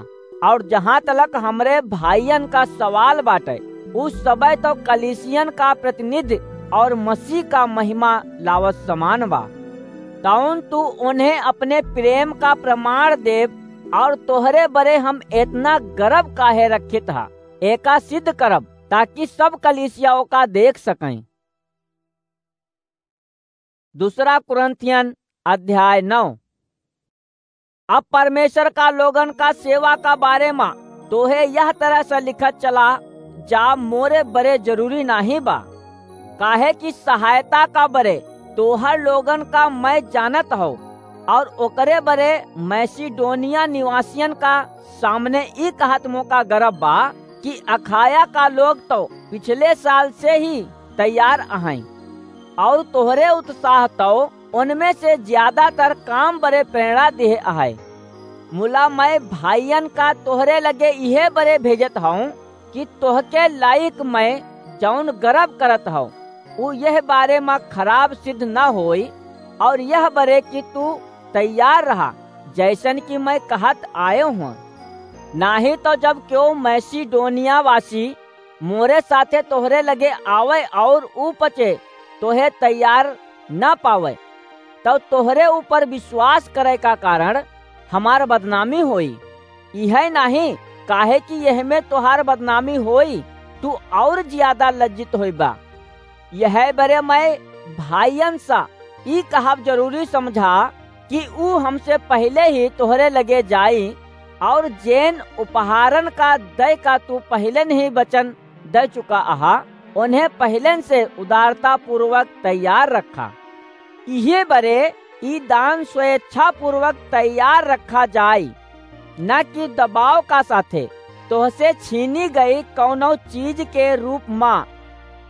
और जहाँ तलक हमरे भाइयन का सवाल बाटे, उ सबे तो कलीसियन का प्रतिनिधि और मसीह का महिमा लावत समान बा। तौन तू उन्हें अपने प्रेम का प्रमाण देब, और तोहरे बरे हम इतना गर्व काहे रखित हा, एका सिद्ध करब, ताकि सब कलीसिया ओका देख सकें। दूसरा कुरिन्थियन अध्याय नौ। अब परमेश्वर का लोगन का सेवा का बारे मा तोहे यह तरह से लिखत चला जा, मोरे बरे जरूरी नाही बा, काहे कि सहायता का बरे तोहर लोगन का मैं जानत हौ, और ओकरे बरे मैसिडोनिया निवासियन का सामने ई कहत मोका गर्व बा कि अखाया का लोग तो पिछले साल से ही तैयार अहैं, और तोहरे उत्साह तो उनमें से ज्यादातर काम बरे प्रेरणा दिहे अहै। मुला मैं भाइयन का तोहरे लगे इहे बरे भेजत हौं कि तोहके लायक मैं जौन गर्व करत हौं, उ यह बारे मा खराब सिद्ध न होई, और यह बरे कि तू तैयार रहा, जैसन कि मैं कहत आयो हूँ। नाही तो जब केहू मैसिडोनिया वासी मोरे साथे तोहरे लगे आवे और ऊ पचे तोहे तैयार न पावे, तब तोहरे ऊपर विश्वास करे का कारण हमार बदनामी होई। इहे नाही, काहे कि यह में तोहार बदनामी होई, तू और ज्यादा लज्जित होइबा। यह बरे मैं भाइयन सा ई कहब जरूरी समझा कि ऊ हमसे पहिले ही तोहरे लगे जाई, और जेन उपहारन का दय का तू पहिले नहीं वचन दे चुका अहा, उन्हें पहिले से उदारता पूर्वक तैयार रखा। इहे बरे ई दान स्वेच्छा पूर्वक तैयार रखा जाई, न कि दबाव का साथे तोहसे छीनी गई कौनो चीज के रूप मा।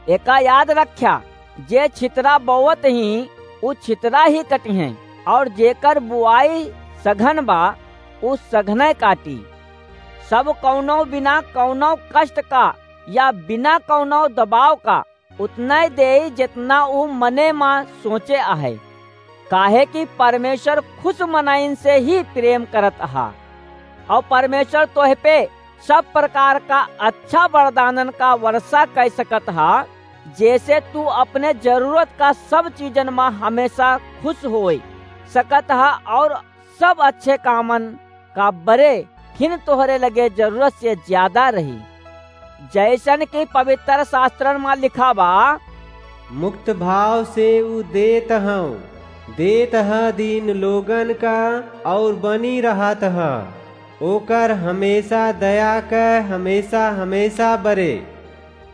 एका याद रख्या, जे छितरा बोवत ही, उ छितरा ही कटिहें, और जेकर बुआई सघन बा, उ सघने काटी। सब कौनो बिना कौनो कष्ट का या बिना कौनो दबाव का उतना ही देई, जितना उ मने मा सोचे आहे, काहे कि परमेश्वर खुश मनइन से ही प्रेम करत हा। और परमेश्वर तोह पे सब प्रकार का अच्छा वरदानन का वर्षा कर सकत हा, जैसे तू अपने जरूरत का सब चीजन मा हमेशा खुश होए सकत हा और सब अच्छे कामन का बरे फिन तोहरे लगे जरूरत से ज्यादा रही। जैसन कि पवित्र शास्त्रन मा लिखा बा, मुक्त भाव से ऊ देत हौ, देत ह दीन लोगन का, और बनी रहत ह। ओकर हमेशा दया क हमेशा, हमेशा बरे।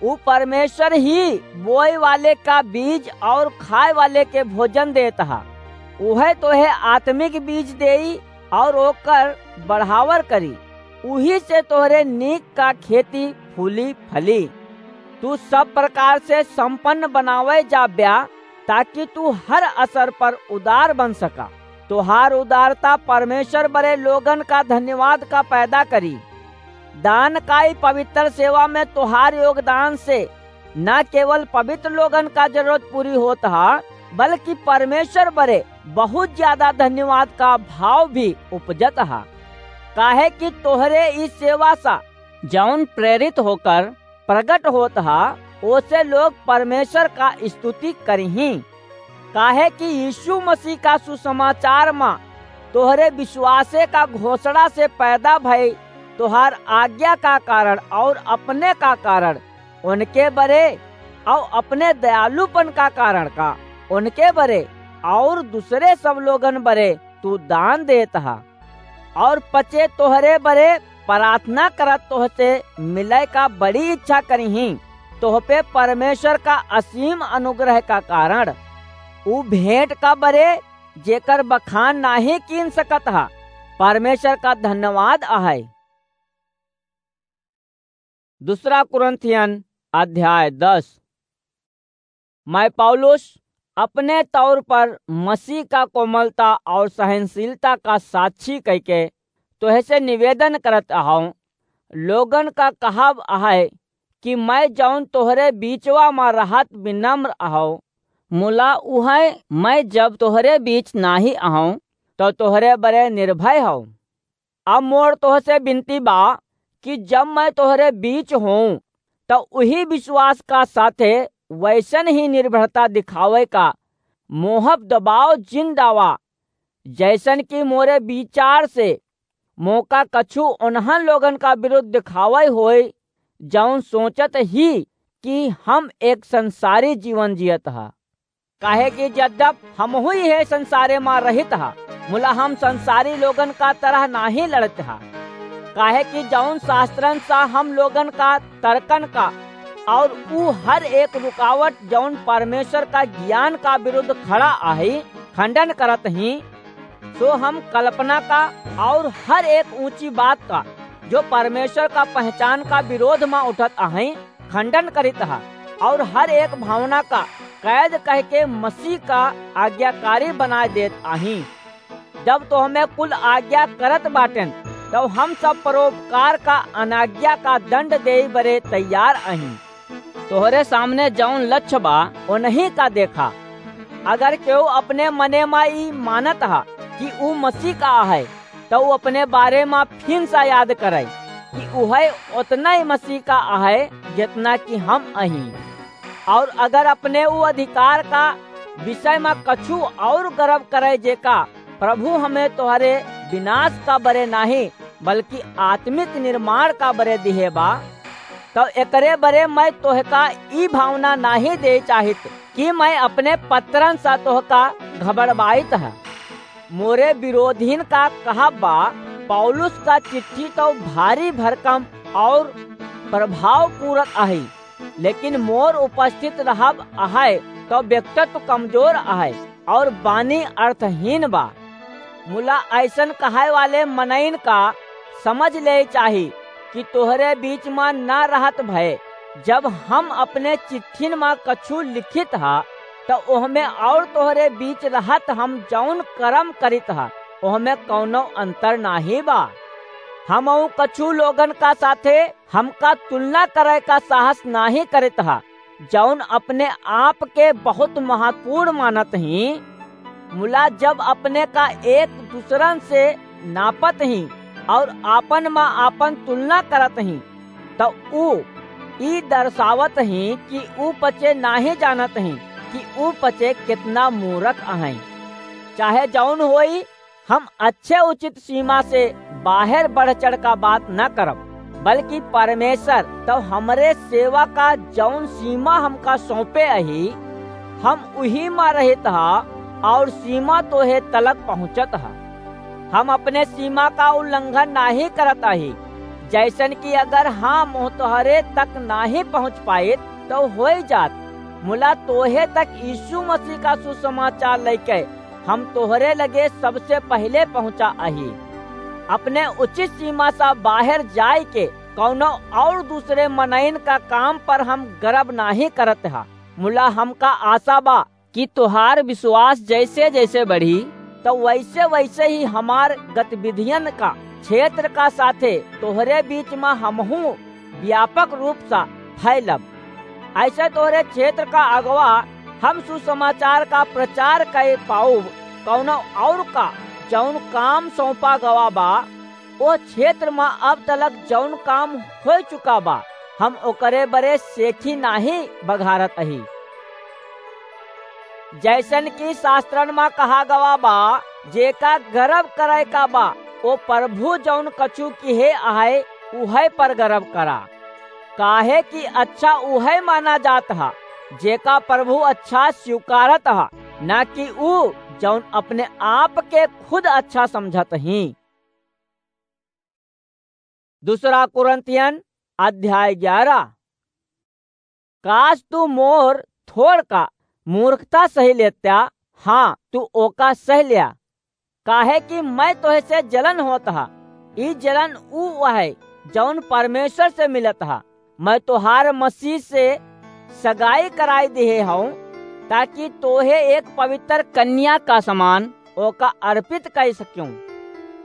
ऊ परमेश्वर ही बोए वाले का बीज और खाए वाले के भोजन देत ह। उहे तोहे आत्मिक बीज देई और ओकर बढ़ावर करी। उही से तोहरे नीक का खेती फूली फली। तू सब प्रकार से संपन्न बनावे जाब्या, ताकि तू हर असर पर उदार बन सका। तोहार उदारता परमेश्वर बरे लोगन का धन्यवाद का पैदा करी। दान का ई पवित्र सेवा में तोहार योगदान से न केवल पवित्र लोगन का जरूरत पूरी होत हा, बल्कि परमेश्वर बरे बहुत ज्यादा धन्यवाद का भाव भी उपजत हा। काहे कि तोहरे इस सेवा सा जौन प्रेरित होकर प्रगट होत हा, ओसे लोग परमेश्वर का स्तुति करिहीं। काहे कि यीशु मसीह का सुसमाचार मा तोहरे विश्वासे का घोषणा से पैदा भई तोहार आज्ञा का कारण और अपने का कारण उनके बरे और अपने दयालुपन का कारण का उनके बरे और दूसरे सब लोगन बरे तू दान देत हा। और पचे तोहरे बरे प्रार्थना करत तोहसे मिले का बड़ी इच्छा करिहीं। तोह पे परमेश्वर का असीम अनुग्रह का कारण ऊ भेंट का बरे जेकर बखान नाही कीन सकत हा, परमेश्वर का धन्यवाद आहे। दूसरा कुरिन्थियन अध्याय दस। मैं पौलुस अपने तौर पर मसीह का कोमलता और सहनशीलता का साक्षी कइके तोहसे निवेदन करत अहौं। लोगन का कहब अहै कि मैं जौन तोहरे बीचवा मा रहत विनम्र अहौं, मुला उहै मैं जब तोहरे बीच नाही अहौं, तौ तोहरे बरे निर्भय हौं। अब मोर तोहसे बिनती बा कि जब मैं तोहरे बीच होऊं, त उही विश्वास का साथे वैसन ही निर्भरता दिखावे का मोहब दबाव जिन डावा, जैसन कि मोरे विचार से मोका कछु उन्हन लोगन का विरुद्ध दिखावे होए, जौन सोचत ही कि हम एक संसारी जीवन जियत हा। काहे कि जद्यप हमहू इहे संसारे मा रहित हा, मुला हम संसारी लोगन का तरह नाही लड़त हा। काहे कि जौन शास्त्रन सा हम लोगन का तर्कन का और ऊ हर एक रुकावट जौन परमेश्वर का ज्ञान का विरुद्ध खड़ा आहे, खंडन करत ही, सो हम कल्पना का और हर एक ऊंची बात का जो परमेश्वर का पहचान का विरोध मा उठत आहे, खंडन करित हा और हर एक भावना का कैद कह के मसीह का आज्ञाकारी बनाए देत आही। जब तोहमे कुल आज्ञा करत बाटेन, तब हम सब परोपकार का अनाज्ञा का दंड देई बरे तैयार आही। तोहरे सामने जौन लक्ष्य बा, ओनही का देखा। अगर केहू अपने मने मा ई मानत हा कि ऊ मसीह का आहे, त ऊ अपने बारे मा फिन सा याद करे कि उहै ओतना ही मसीह का आहे, जितना कि हम अही। और अगर अपने ऊ अधिकार का विषय मा कछु और गर्व करे, जेका प्रभु हमें तोहरे विनाश का बरे नाही, बल्कि आत्मिक निर्माण का बरे दिहे बा, तब एकरे बरे मैं तोहका ई भावना नाही दे चाहित कि मैं अपने पत्रन सा तोहका घबड़वाइत है। मोरे विरोधीन का कहब बा, पौलुस का चिट्ठी तो भारी भरकम और प्रभावपूर्वक आहे, लेकिन मोर उपस्थित रहब आहे तो व्यक्तित्व कमजोर आहे और बानी अर्थहीन बा। मुला ऐसन कहे वाले मनइन का समझ ले चाही कि तोहरे बीच मा न रहत भय, जब हम अपने चिट्ठिन मा कछु लिखित हा, त ओहमे और तोहरे बीच रहत हम जौन करम करित हा, ओहमे कौनो अंतर नाही बा। हमऊ कछु लोगन का साथे हमका तुलना करे का साहस नाही करित हा, जौन अपने आप के बहुत महत्वपूर्ण मानत ही। मुला जब अपने का एक दूसरन से नापत ही और आपन मा आपन तुलना करत ही, त ऊ ई दर्शावत ही कि ऊ पचे नाहीं जानत ही कि ऊ पचे केतना मूरख अहैं। चाहे जौन होई, हम अच्छे उचित सीमा से बाहेर बढ़ चढ़ का बात न करब, बल्कि परमेसर तौ हमरे सेवा का जौन सीमा हमका सौंपे अही, हम उही मा रहित हा और सीमा तोहे तलक पहुँचत हा। हम अपने सीमा का उल्लंघन नाहीं करत अही, जैसन कि अगर हम तोहरे तक नाहीं पहुँच पाइत तौ होइ जात, मुला तोहे तक यीशु मसीह का सुसमाचार लइके हम तोहरे लगे सबसे पहिले पहुँचा अही। अपने उचित सीमा सा बाहेर जाइके कौनो और दूसरे मनइन का काम पर हम गर्व नाहीं करत हा, मुला हमका आसा बा कि तोहार विश्वास जैसे जैसे बढ़ी, तौ वैसे वैसे ही हमार गतिविधियन का क्षेत्र का साथे तोहरे बीच मा हमहूँ व्यापक रूप सा फैलब। ऐसे तोहरे क्षेत्र का अगवा हम सुसमाचार का प्रचार कइ पाउब। कौनो और का जौन काम सौंपा गवा बा, ओ क्षेत्र मा अब तलक जौन काम होइ चुका बा, हम ओकरे बरे सेखी नाहीं बघारत अही। जैसन कि शास्त्रन मा कहा गवा बा, जेका गर्व करै का बा, ओ प्रभु जौन कछु किहे अहै, उहै पर गर्व करा। काहे कि अच्छा उहै माना जात हा, जेका प्रभु अच्छा स्वीकारत हा, ना कि ऊ जौन अपने आप के खुद अच्छा समझत ही। दूसरा कुरिन्थियन अध्याय ग्यारह। काश तू मोर थोड़ का मूर्खता सहि लेत्या, हाँ, तू ओका सहि ल्या, काहे कि मैं तोहे से जलन होत हा। ई जलन ऊ अहै, जौन परमेश्वर से मिलत हा। मैं तोहार मसीह से सगाई कराई दिहे हौं, ताकि तोहे एक पवित्र कन्या का समान ओका अर्पित कइ सक्यों।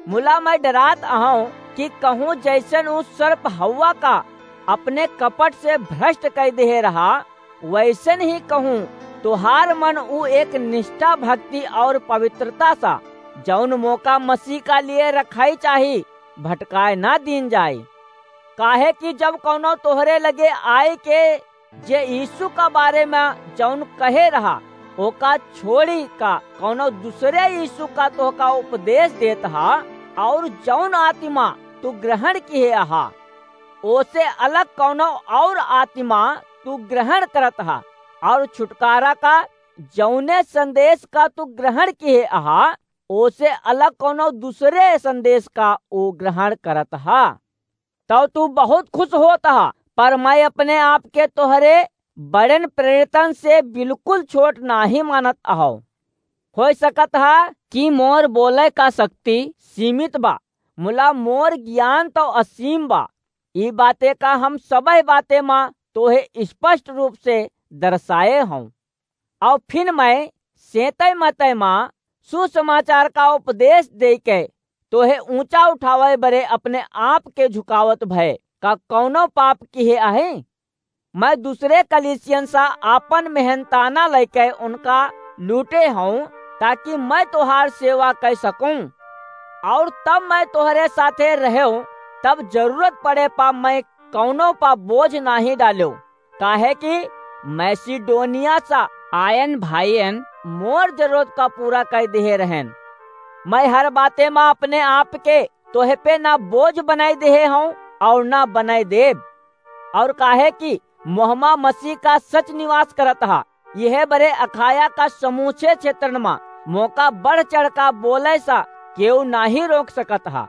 मुला मैं डरात अहौं कि कहूँ जैसन ऊ सर्प हव्वा का अपने कपट से भ्रष्ट कइ दिहे रहा, वैसन ही कहूँ तोहार मन ऊ एक निष्ठा, भक्ति और पवित्रता सा, जौन मोका मसीह का लिए रखाई चाही, भटकाए ना दीन जाए। काहे कि जब कौनो तोहरे लगे आइके जे यीशु का बारे मा जौन कहे रहा, ओका छोड़ी का कौनो दूसरे यीशु का तोहका उपदेश देत हा, और जौन आत्मा तू ग्रहण किहे अहा, ओसे अलग कौनो और आत्मा तू ग्रहण करत हा, और छुटकारा का जौने संदेश का तू ग्रहण किहे अहा, ओसे अलग कौनो दूसरे संदेश का ऊ ग्रहण करत हा। तब तू बहुत खुश होत हा, पर मैं अपने आप के तोहरे बड़न प्रेरितन से बिल्कुल छोट नाहीं मानत अहौ। होइ सकत हा कि मोर बोलै का शक्ति सीमित बा, मुला मोर ज्ञान तौ असीम बा। ई बाते का हम सबै बाते मा तोहे स्पष्ट रूप से दर्शाए हौं। और फिर मैं सेतै मतै मा सुसमाचार का उपदेश देके तोहे ऊँचा उठावै बरे अपने आप के झुकावत भय का कौनो पाप किहे आहे? मैं दूसरे कलीसियन सा आपन मेहनताना लइके उनका लूटे हौं, ताकि मैं तोहार सेवा कइ सकूं। और तब मैं तोहरे साथे रहेव, तब जरूरत पड़े पा मैं कौनो पा बोझ नाहीं डालेव, काहे कि मैसिडोनिया सा आयन भाईयन मोर जरूरत का पूरा कइ दिहे रहेन। मैं हर बाते मा अपने आप के तोहे पे ना बोझ बनाई दिहे हौं और ना बनाई देब। और काहे कि मोहमा मसीह का सच निवास करत हा, यह बरे अखाया का समूचे क्षेत्रन मा मोका बढ़ चढ़ का बोलै सा केहू नाहीं रोक सकत हा।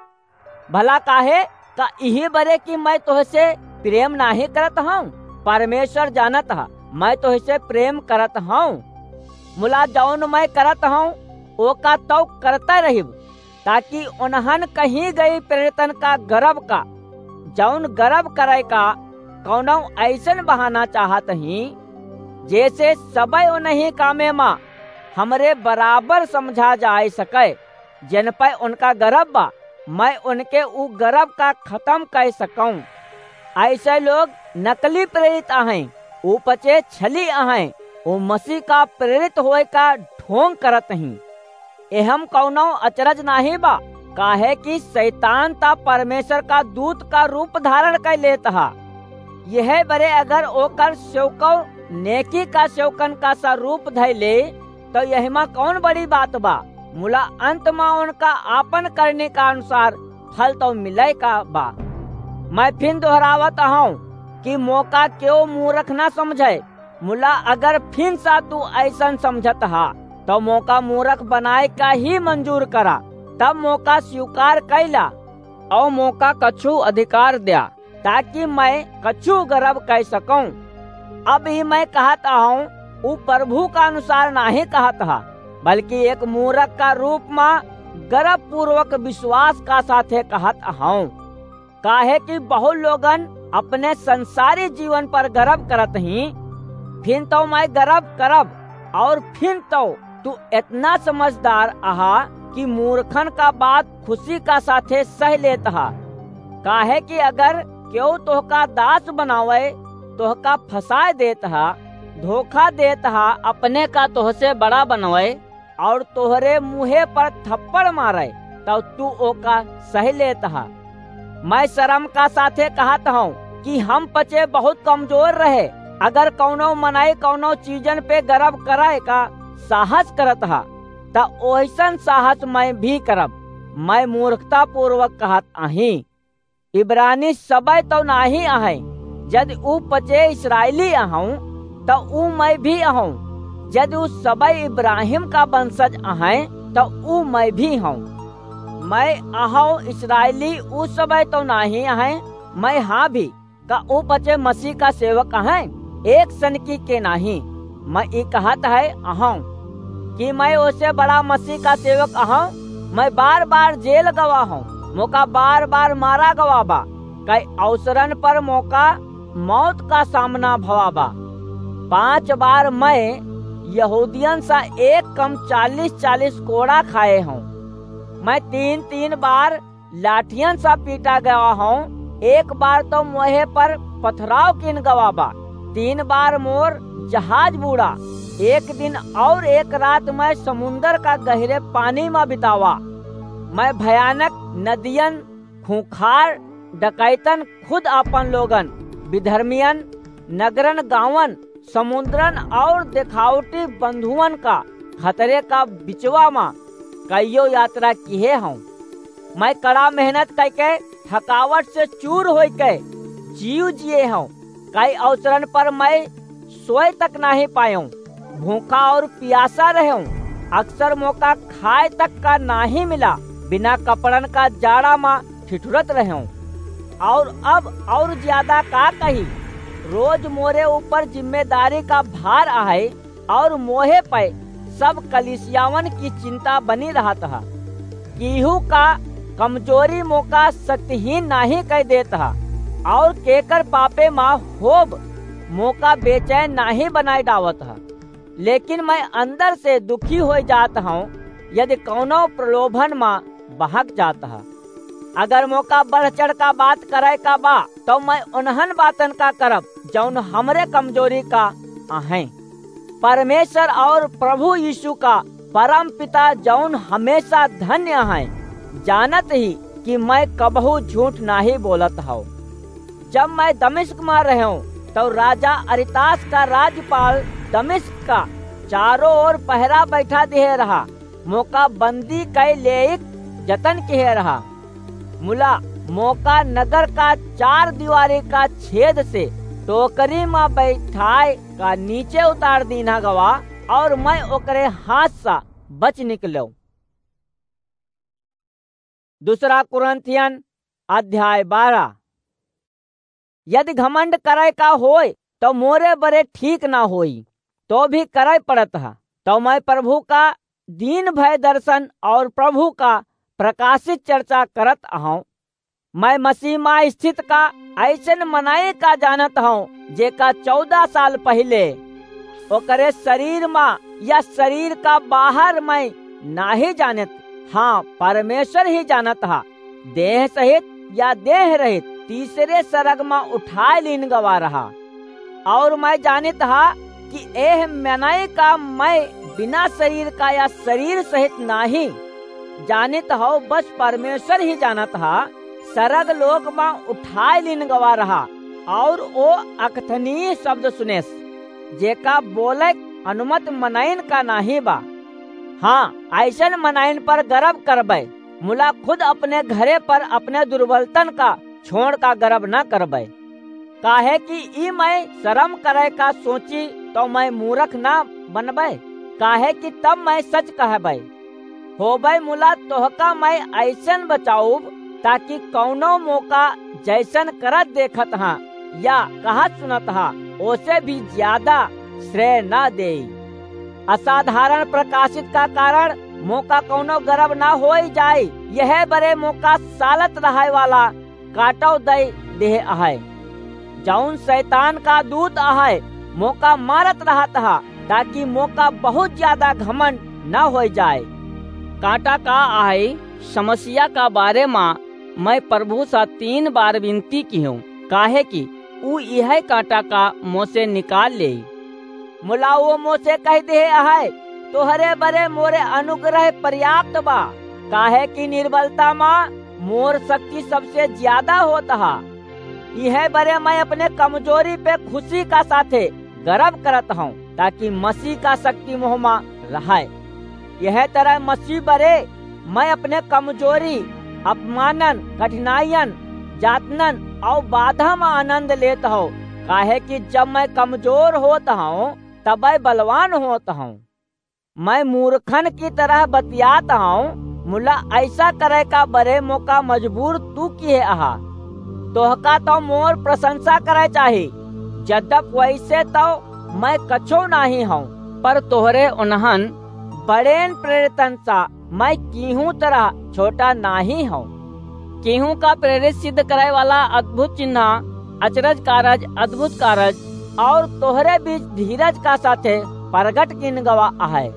भला काहे का इही बरे कि मैं तोहसे प्रेम नाहीं करत हौं? परमेश्वर जानत हा, मैं तोहसे प्रेम करत हौं। मुला जौन मैं करत हौं, ओका तौ करता रहिब, ताकि उन्हन कहीं गई प्रेरितन का गर्व का, जौन गर्व करै का कौनो ऐसन बहाना चाहत ही, जैसे सबै उन्हीं कामे मा हमरे बराबर समझा जाए सकै, जिन पै उनका गर्व बा, मैं उनके ऊ गर्व का खतम कइ सकौं। ऐसे लोग नकली प्रेरित अहैं, ऊ पचे छली अहैं, ऊ मसीह का प्रेरित होए का ढोंग करत ही। एहम कौनो अचरज नाहीं बा, काहे कि शैतान ता परमेश्वर का दूत का रूप धारण कइ लेत हा। यह बरे अगर ओकर सेवकौ नेकी का सेवकन का सा रूप धइ ले, तौ यहिमा कौन बड़ी बात बा? मुला अंत मा उनका आपन करनी का अनुसार फल तौ मिलै का बा। मैं फिन दोहरावत अहौं कि मोका केहू मूरख ना समझै, मुला अगर फिन सा तू अइसन समझत हा, तौ मोका मूरख बनाए का ही मंजूर करा, तब मोका स्वीकार कइला, औ मोका कछु अधिकार द्या, ताकि मैं कछु गर्व कइ सकौं। अब ही मैं कहत अहौं, ऊ प्रभु का अनुसार नाहीं कहत हा, बल्कि एक मूरख का रूप मा गर्वपूर्वक विश्वास का साथे कहत अहौं। काहे कि बहुत लोगन अपने संसारी जीवन पर गर्व करत हीं, फिन तौ मैं गर्व करब, और फिन तौ तू एतना समझदार अहा कि मूर्खन का बात खुशी का साथे सह लेत हा। काहे कि अगर केहू तोहका दास बनावै, तोहका फँसाय देत हा, धोखा देत हा, अपने का तोहसे बड़ा बनवै, और तोहरे मुँहे पर थप्पड़ मारै, तौ तू ओका सह लेत हा। मैं शरम का साथे कहत हौं कि हम पचे बहुत कमजोर रहे। अगर कौनो मनई कौनो चीजन पे गर्व करै का साहस करत हा, त ओइसन साहस मैं भी करब। मैं मूर्खतापूर्वक कहत अहीं। इब्रानी सबय तौ नाहीं अहैं, जदि ऊ पचे इस्राएली अहौं, त ऊ मैं भी अहौं। जदि ऊ सबय इब्राहिम का वंशज अहैं, त ऊ मैं भी हौं। मैं अहौं इस्राएली ऊ सबय तौ नाहीं अहैं, मैं हाँ भी, का ऊ पचे मसीह का सेवक अहैं? एक सनकी के नाहीं। मैं ई कहत है अहौं कि मैं ओसे बड़ा मसीह का सेवक अहौं। मैं बार-बार जेल गवा हौं, मोका बार-बार मारा गवा बा, कई अवसरन पर मोका मौत का सामना भवा बा। पाँच बार मैं यहूदियन सा एक कम चालीस चालीस कोड़ा खाए हौं। मैं तीन तीन बार लाठियन सा पीटा गवा हौं। एक बार तौ मोहे पर पथराव किन गवा बा। तीन बार मोर जहाज बूड़ा। एक दिन और एक रात मैं समुंदर का गहिरे पानी मा बितावा। मैं भयानक नदियन, खूंखार डकैतन, खुद आपन लोगन, विधर्मियन, नगरन गाँवन, समुंदरन और देखावटी बंधुअन का खतरे का बिचवा मा कइयो यात्रा किहे हौं। मैं कड़ा मेहनत कइके थकावट से चूर होइके जीव जिए हौं। कई अवसरन पर मैं सोए तक नाहीं पायों। भूखा और पियासा रह्यों। अक्सर मोका खाए तक का नाहीं मिला। बिना कपड़न का जाड़ा मा ठिठुरत रह्यों। और अब और ज्यादा का कही, रोज मोरे ऊपर जिम्मेदारी का भार आहे और मोहे पे सब कलीसियावन की चिंता बनी रहत ह। केहू का कमजोरी मोका शक्तिहीन नाहीं कइ देत ह और केकर पापे मा होब मोका बेचैन नाहीं बनाए डावत ह। लेकिन मैं अंदर से दुखी होइ जात हौं, यदि कौनो प्रलोभन मा बहक जात ह। अगर मोका बढ़ चढ़ का बात करै का बा, तौ मैं उन्हन बातन का करब, जौन हमरे कमजोरी का अहैं। परमेश्वर और प्रभु यीशु का परम पिता, जौन हमेशा धन्य अहैं, जानत ही कि मैं कबहू झूठ नाहीं बोलत हौं। जब मैं दमिश्क मा रह्यों, तौ राजा अरितास का राज्यपाल दमिश्क का चारों ओर पहरा बैठा दिहे रहा। मोका बंदी कइ लेइक जतन किहे रहा। मुला मोका नगर का चार दीवारी का छेद से टोकरी मा बैठाए का नीचे उतार दीन्हा गवा और मैं ओकरे हाथ सा बच निकल्यों। दूसरा कुरिन्थियन अध्याय बारह। यदि घमंड करै का होय, तौ मोरे बरे ठीक ना होई, तौ भी करै पड़त ह। तौ मैं प्रभु का दीन भय दर्शन और प्रभु का प्रकाशित चर्चा करत अहौं। मैं मसीह मा स्थित का अइसन मनई का जानत हौं, जेका चौदह साल पहिले ओकरे शरीर मा या शरीर का बाहर मैं नाहीं जानत, हाँ, परमेश्वर ही जानत हा। देह सहित या देह रहित तीसरे सरग मा उठाए लीन गवा रहा। और मैं जानित हा कि एह मनई का मैं बिना शरीर का या शरीर सहित नाहीं जानित हौ, बस परमेश्वर ही जानत हा। सरग लोक मा उठाए लीन गवा रहा, और ओ अकथनीय शब्द सुनेस, जेका बोले अनुमत मनइन का नाहीं बा। हाँ, अइसन मनइन पर गरब करबै, मुला खुद अपने घरे पर अपने दुर्बलतन का छोड़ का गरब न करबै। काहे कि ई मय सरम करै का सोची, तौ मय मूरख न बनबै, काहे कि तब मय सच कहबै। होबै मुला तोहका मय अइसन बचाउब, ताकि कउनो मोका जइसन करत देखत हाँ या कहत सुनत हाँ, ओसे भी ज्यादा श्रेय न देई। असाधारण प्रकाशित का कारण मोका कउनो गरब न होइ जाई। यह बरे मोका सालत रहै वाला काटौ दइ देह अहै, जउन सैतान का दूत अहै, मोका मारत रहत हा, ताकि मोका बहुत ज्यादा घमंड न होइ जाए। काँटा का अहै समस्या का बारे मा मय प्रभु सा तीन बार विनती किहेंव, काहे कि ऊ इहै काँटा का मोसे निकाल लेई। मुला ओ मोसे कहि देहे अहै, तोहरे बरे मोरे अनुग्रह पर्याप्त बा, काहे कि निर्बलता मा मोर शक्ति सबसे ज्यादा होत हा। इहै बरे मय अपने कमजोरी पे खुशी का साथे गरब करत हौं, ताकि मसीह का शक्ति मोह मा रहै। यह तरह मसीह बरे मय अपने कमजोरी, अपमानन, कठिनाइयन, जातनन और बाधा मा आनंद लेत हौं, काहे कि जब मय कमजोर होत हौं, तबै बलवान होत हौं। मय मूर्खन की तरह बतियात हौं, मुला अइसा करै का बरे मोका मजबूर तू किहे अहा। तोहका तौ मोर प्रशंसा करै चाही, जद्यप वइसे तौ मय कछो नाहीं हौं, पर तोहरे उन्हन बड़ेन प्रेरितन सा मय किहूँ तरह छोटा नाहीं हौं। किहूँ का प्रेरित सिद्ध करै वाला अद्भुत चिन्हा, अचरज कारज, अद्भुत कारज, और तोहरे बीच धीरज का साथे प्रगट किन गवा अहै।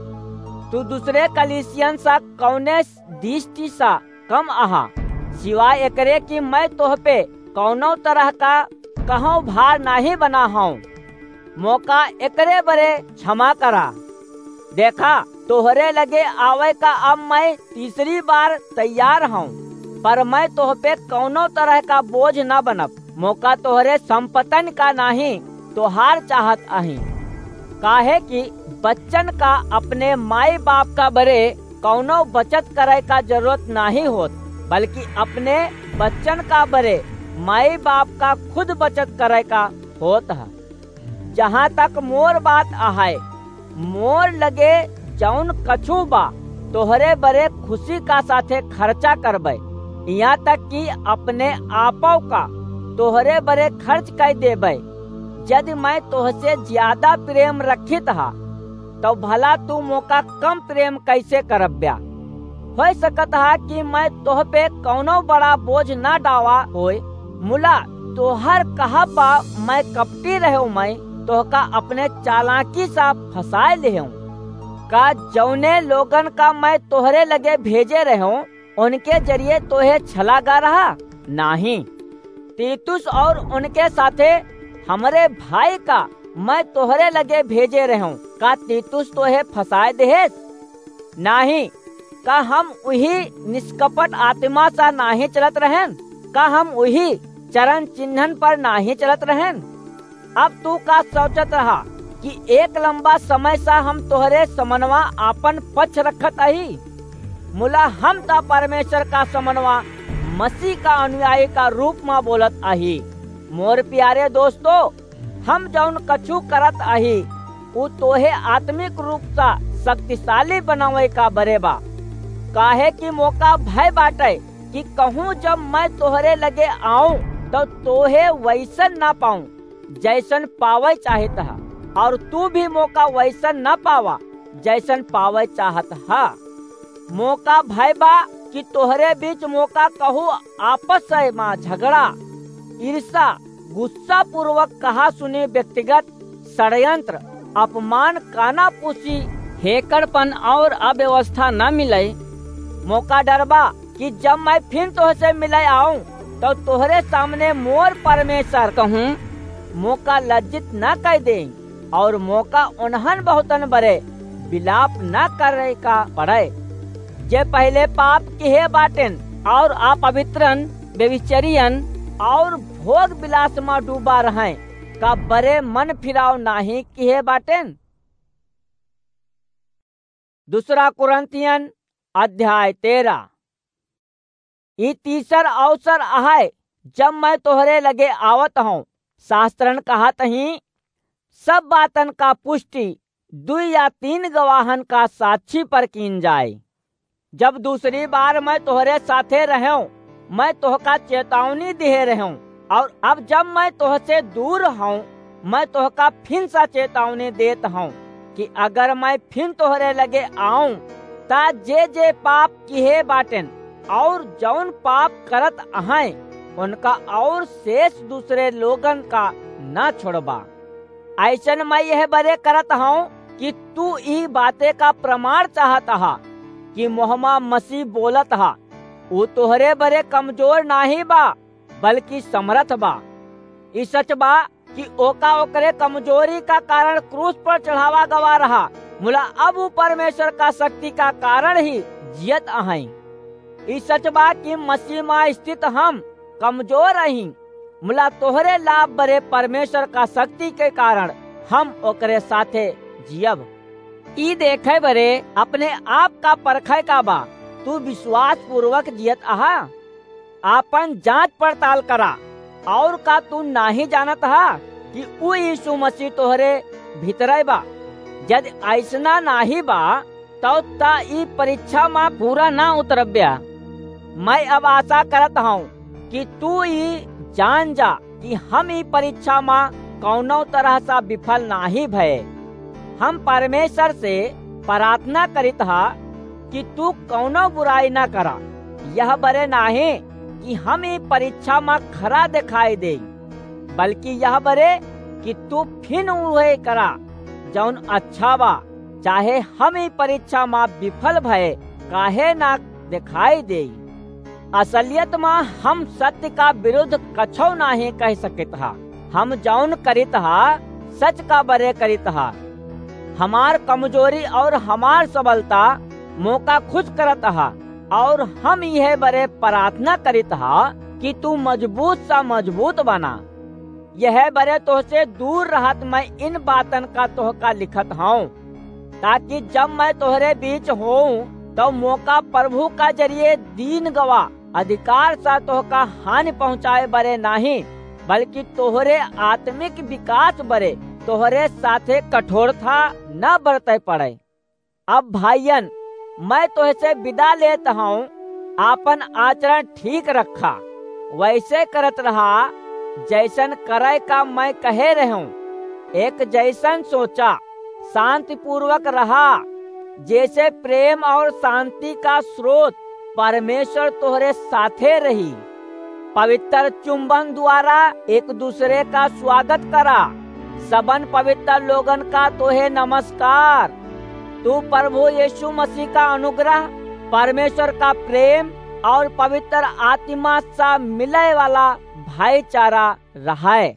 तू दूसरे कलीसियन सा कउने दृष्टि सा कम अहा, सिवाय एकरे कि मय तोह पे कउनो तरह का कहौं भार नाहीं बना हौं। मोका एकरे बरे क्षमा करा। देखा, तोहरे लगे आवै का अब मय तीसरी बार तैयार हौं, पर मय तोह पे कउनो तरह का बोझ न बनब। मोका तोहरे संपत्तन का नाहीं, तोहार चाहत अहीं। काहे कि बच्चन का अपने माई बाप का बरे कउनो बचत करै का जरूरत नाहीं होत, बल्कि अपने बच्चन का बरे माई बाप का खुद बचत करै का होत ह। जहाँ तक मोर बात अहै, मोर लगे जउन कछू बा, तोहरे बरे खुशी का साथे खर्चा करबै, इहाँ तक कि अपने आपौ का तोहरे बरे खर्च कइ देबै। यदि मय तोहसे ज्यादा प्रेम रखित हा, तौ भला तू मोका कम प्रेम कइसे करब्या? होइ सकत हा कि मय तोह पे कउनो बड़ा बोझ न डावा होय। मुला तोहर कहब बा, मय कपटी रहेंव, मय तोहका अपने चालाकी सा फँसाय लेहेंव। का जउने लोगन का मय तोहरे लगे भेजे रहेंव, उनके जरिये तोहे छला गा रहा? नाहीं। तीतुस और उनके साथे हमरे भाई का मय तोहरे लगे भेजे रहेंव। का तीतुस तोहे फँसाय देहेस? नाहीं। का हम उही निष्कपट आत्मा सा नाहीं चलत रहेन? का हम उही चरण चिन्हन पर नाहीं चलत रहेन? अब तू का सोचत रहा कि एक लंबा समय सा हम तोहरे समनवा आपन पक्ष रखत अही? मुला हम त परमेश्वर का समनवा मसीह का अनुयायी का रूप मा बोलत अही। मोर प्यारे दोस्तों, हम जउन कछू करत अही, उ तोहे आत्मिक रूप सा शक्तिशाली बनावै का बरे बा। काहे कि मोका भय बाटै कि कहूँ जब मय तोहरे लगे आऊँ, तौ तोहे वइसन न पाऊँ, जइसन पावै चाहित ह, और तू भी मोका वइसन न पावा, जइसन पावै चाहत ह। मोका भय बा कि तोहरे बीच मोका कहूँ आपस मा झगड़ा, ईर्ष्या, गुस्सापूर्वक कहासुनी, व्यक्तिगत षड्यंत्र, अपमान, कानाफूसी, हेकड़पन और अव्यवस्था न मिलै। मोका डर बा कि जब मय फिन तोहसे मिलै आऊँ, तौ तोहरे सामने मोर परमेश्वर कहूँ मोका लज्जित न कइ देई, और मोका उन्हन बहुतन बरे विलाप न करै का पड़ै, जे पहिले पाप किहे बाटेन, और अपवित्रन, व्यभिचारियन, और भोग विलास मा डूबा रहैं, का बरे मन फिराव नाहीं किहे बाटेन? दूसरा कुरिन्थियन अध्याय तेरह। ई तीसर अवसर अहै, जब मैं तोहरे लगे आवत हौं। शास्त्रन कहत हीं, सब बातन का पुष्टि दुई या तीन गवाहन का साक्षी पर कीन जाए। जब दूसरी बार मैं तोहरे साथे रहेंव, मैं तोहका चेतावनी दिहे रहेंव, और अब जब मैं तोहसे दूर हौं, मैं तोहका फिन सा चेतावनी देत हौं कि अगर मैं फिन तोहरे लगे आऊं, ता जे जे पाप किहे बाटेन और जौन पाप करत अहैं, उनका और शेष दूसरे लोगन का न छोड़बा। अइसन मैं यह बरे करत हौं कि तू ई बाते का प्रमाण चाहत हा कि मोहमा मसीह बोलत हा, ऊ तोहरे बरे कमजोर नाहीं बा, बल्कि समरथ बा। ई सच बा कि ओका ओकरे कमजोरी का कारण क्रूस पर चढ़ावा गवा रहा, मुला अब ऊ परमेश्वर का शक्ति का कारण ही जियत अहैं। ई सच बा कि मसीह मा स्थित हम कमजोर अहीं, मुला तोहरे लाभ बरे परमेश्वर का शक्ति के कारण हम ओकरे साथे जियब। ई देखे बरे अपने आप का परखे का बा, तू विश्वास पूर्वक जियत अहा? आपन जांच पड़ताल करा, और का तू नाहीं जानत हा कि ऊ यीशु मसीह तोहरे भीतरे बा? यदि अइसना नाहीं बा, तौ ता ई परीक्षा मा पूरा ना उतरब्या। मैं अब आशा करत हौं कि तू ई जान जा कि हम ई परीक्षा मा कौनो तरह सा विफल नाहीं भए। हम परमेश्वर से प्रार्थना करित हा कि तू कौनो बुराई ना करा। यह बरे नाहीं कि हम ई परीक्षा मा खरा दिखाई देई, बल्कि यह बरे कि तू फिन उहे करा जौन अच्छा बा, चाहे हम ई परीक्षा मा विफल भए काहे ना दिखाई देई। असलियत मा हम सत्य का विरुद्ध कछौ नाहीं कह सकित हा। हम जौन करित हा, सच का बरे करित हा। हमार कमजोरी और हमार सबलता मोका खुश करत हा, और हम यह बरे प्रार्थना करित हा कि तू मजबूत सा मजबूत बना। यह बरे तोहसे दूर रहत मैं इन बातन का तोहका लिखत हौं, ताकि जब मैं तोहरे बीच होऊं, तब मोका प्रभु का जरिए दीन गवा अधिकार सा तोहका हानि पहुंचाए बरे नाहीं, बल्कि तोहरे आत्मिक विकास बरे तोहरे साथे कठोरता न बरते पड़े। अब भाइयन, मैं तोहसे विदा लेत हौं, आपन आचरण ठीक रखा, वैसे करत रहा, जैसन करे का मैं कहे रहूं। एक जैसन सोचा, शांतिपूर्वक रहा, जैसे प्रेम और शांति का स्रोत परमेश्वर तोहरे साथे रही। पवित्र चुंबन द्वारा एक दूसरे का स्वागत करा। सबन पवित्र लोगन का तोहे नमस्कार। तू प्रभु यीशु मसीह का अनुग्रह, परमेश्वर का प्रेम और पवित्र आत्मा सा मिले वाला भाईचारा रहे।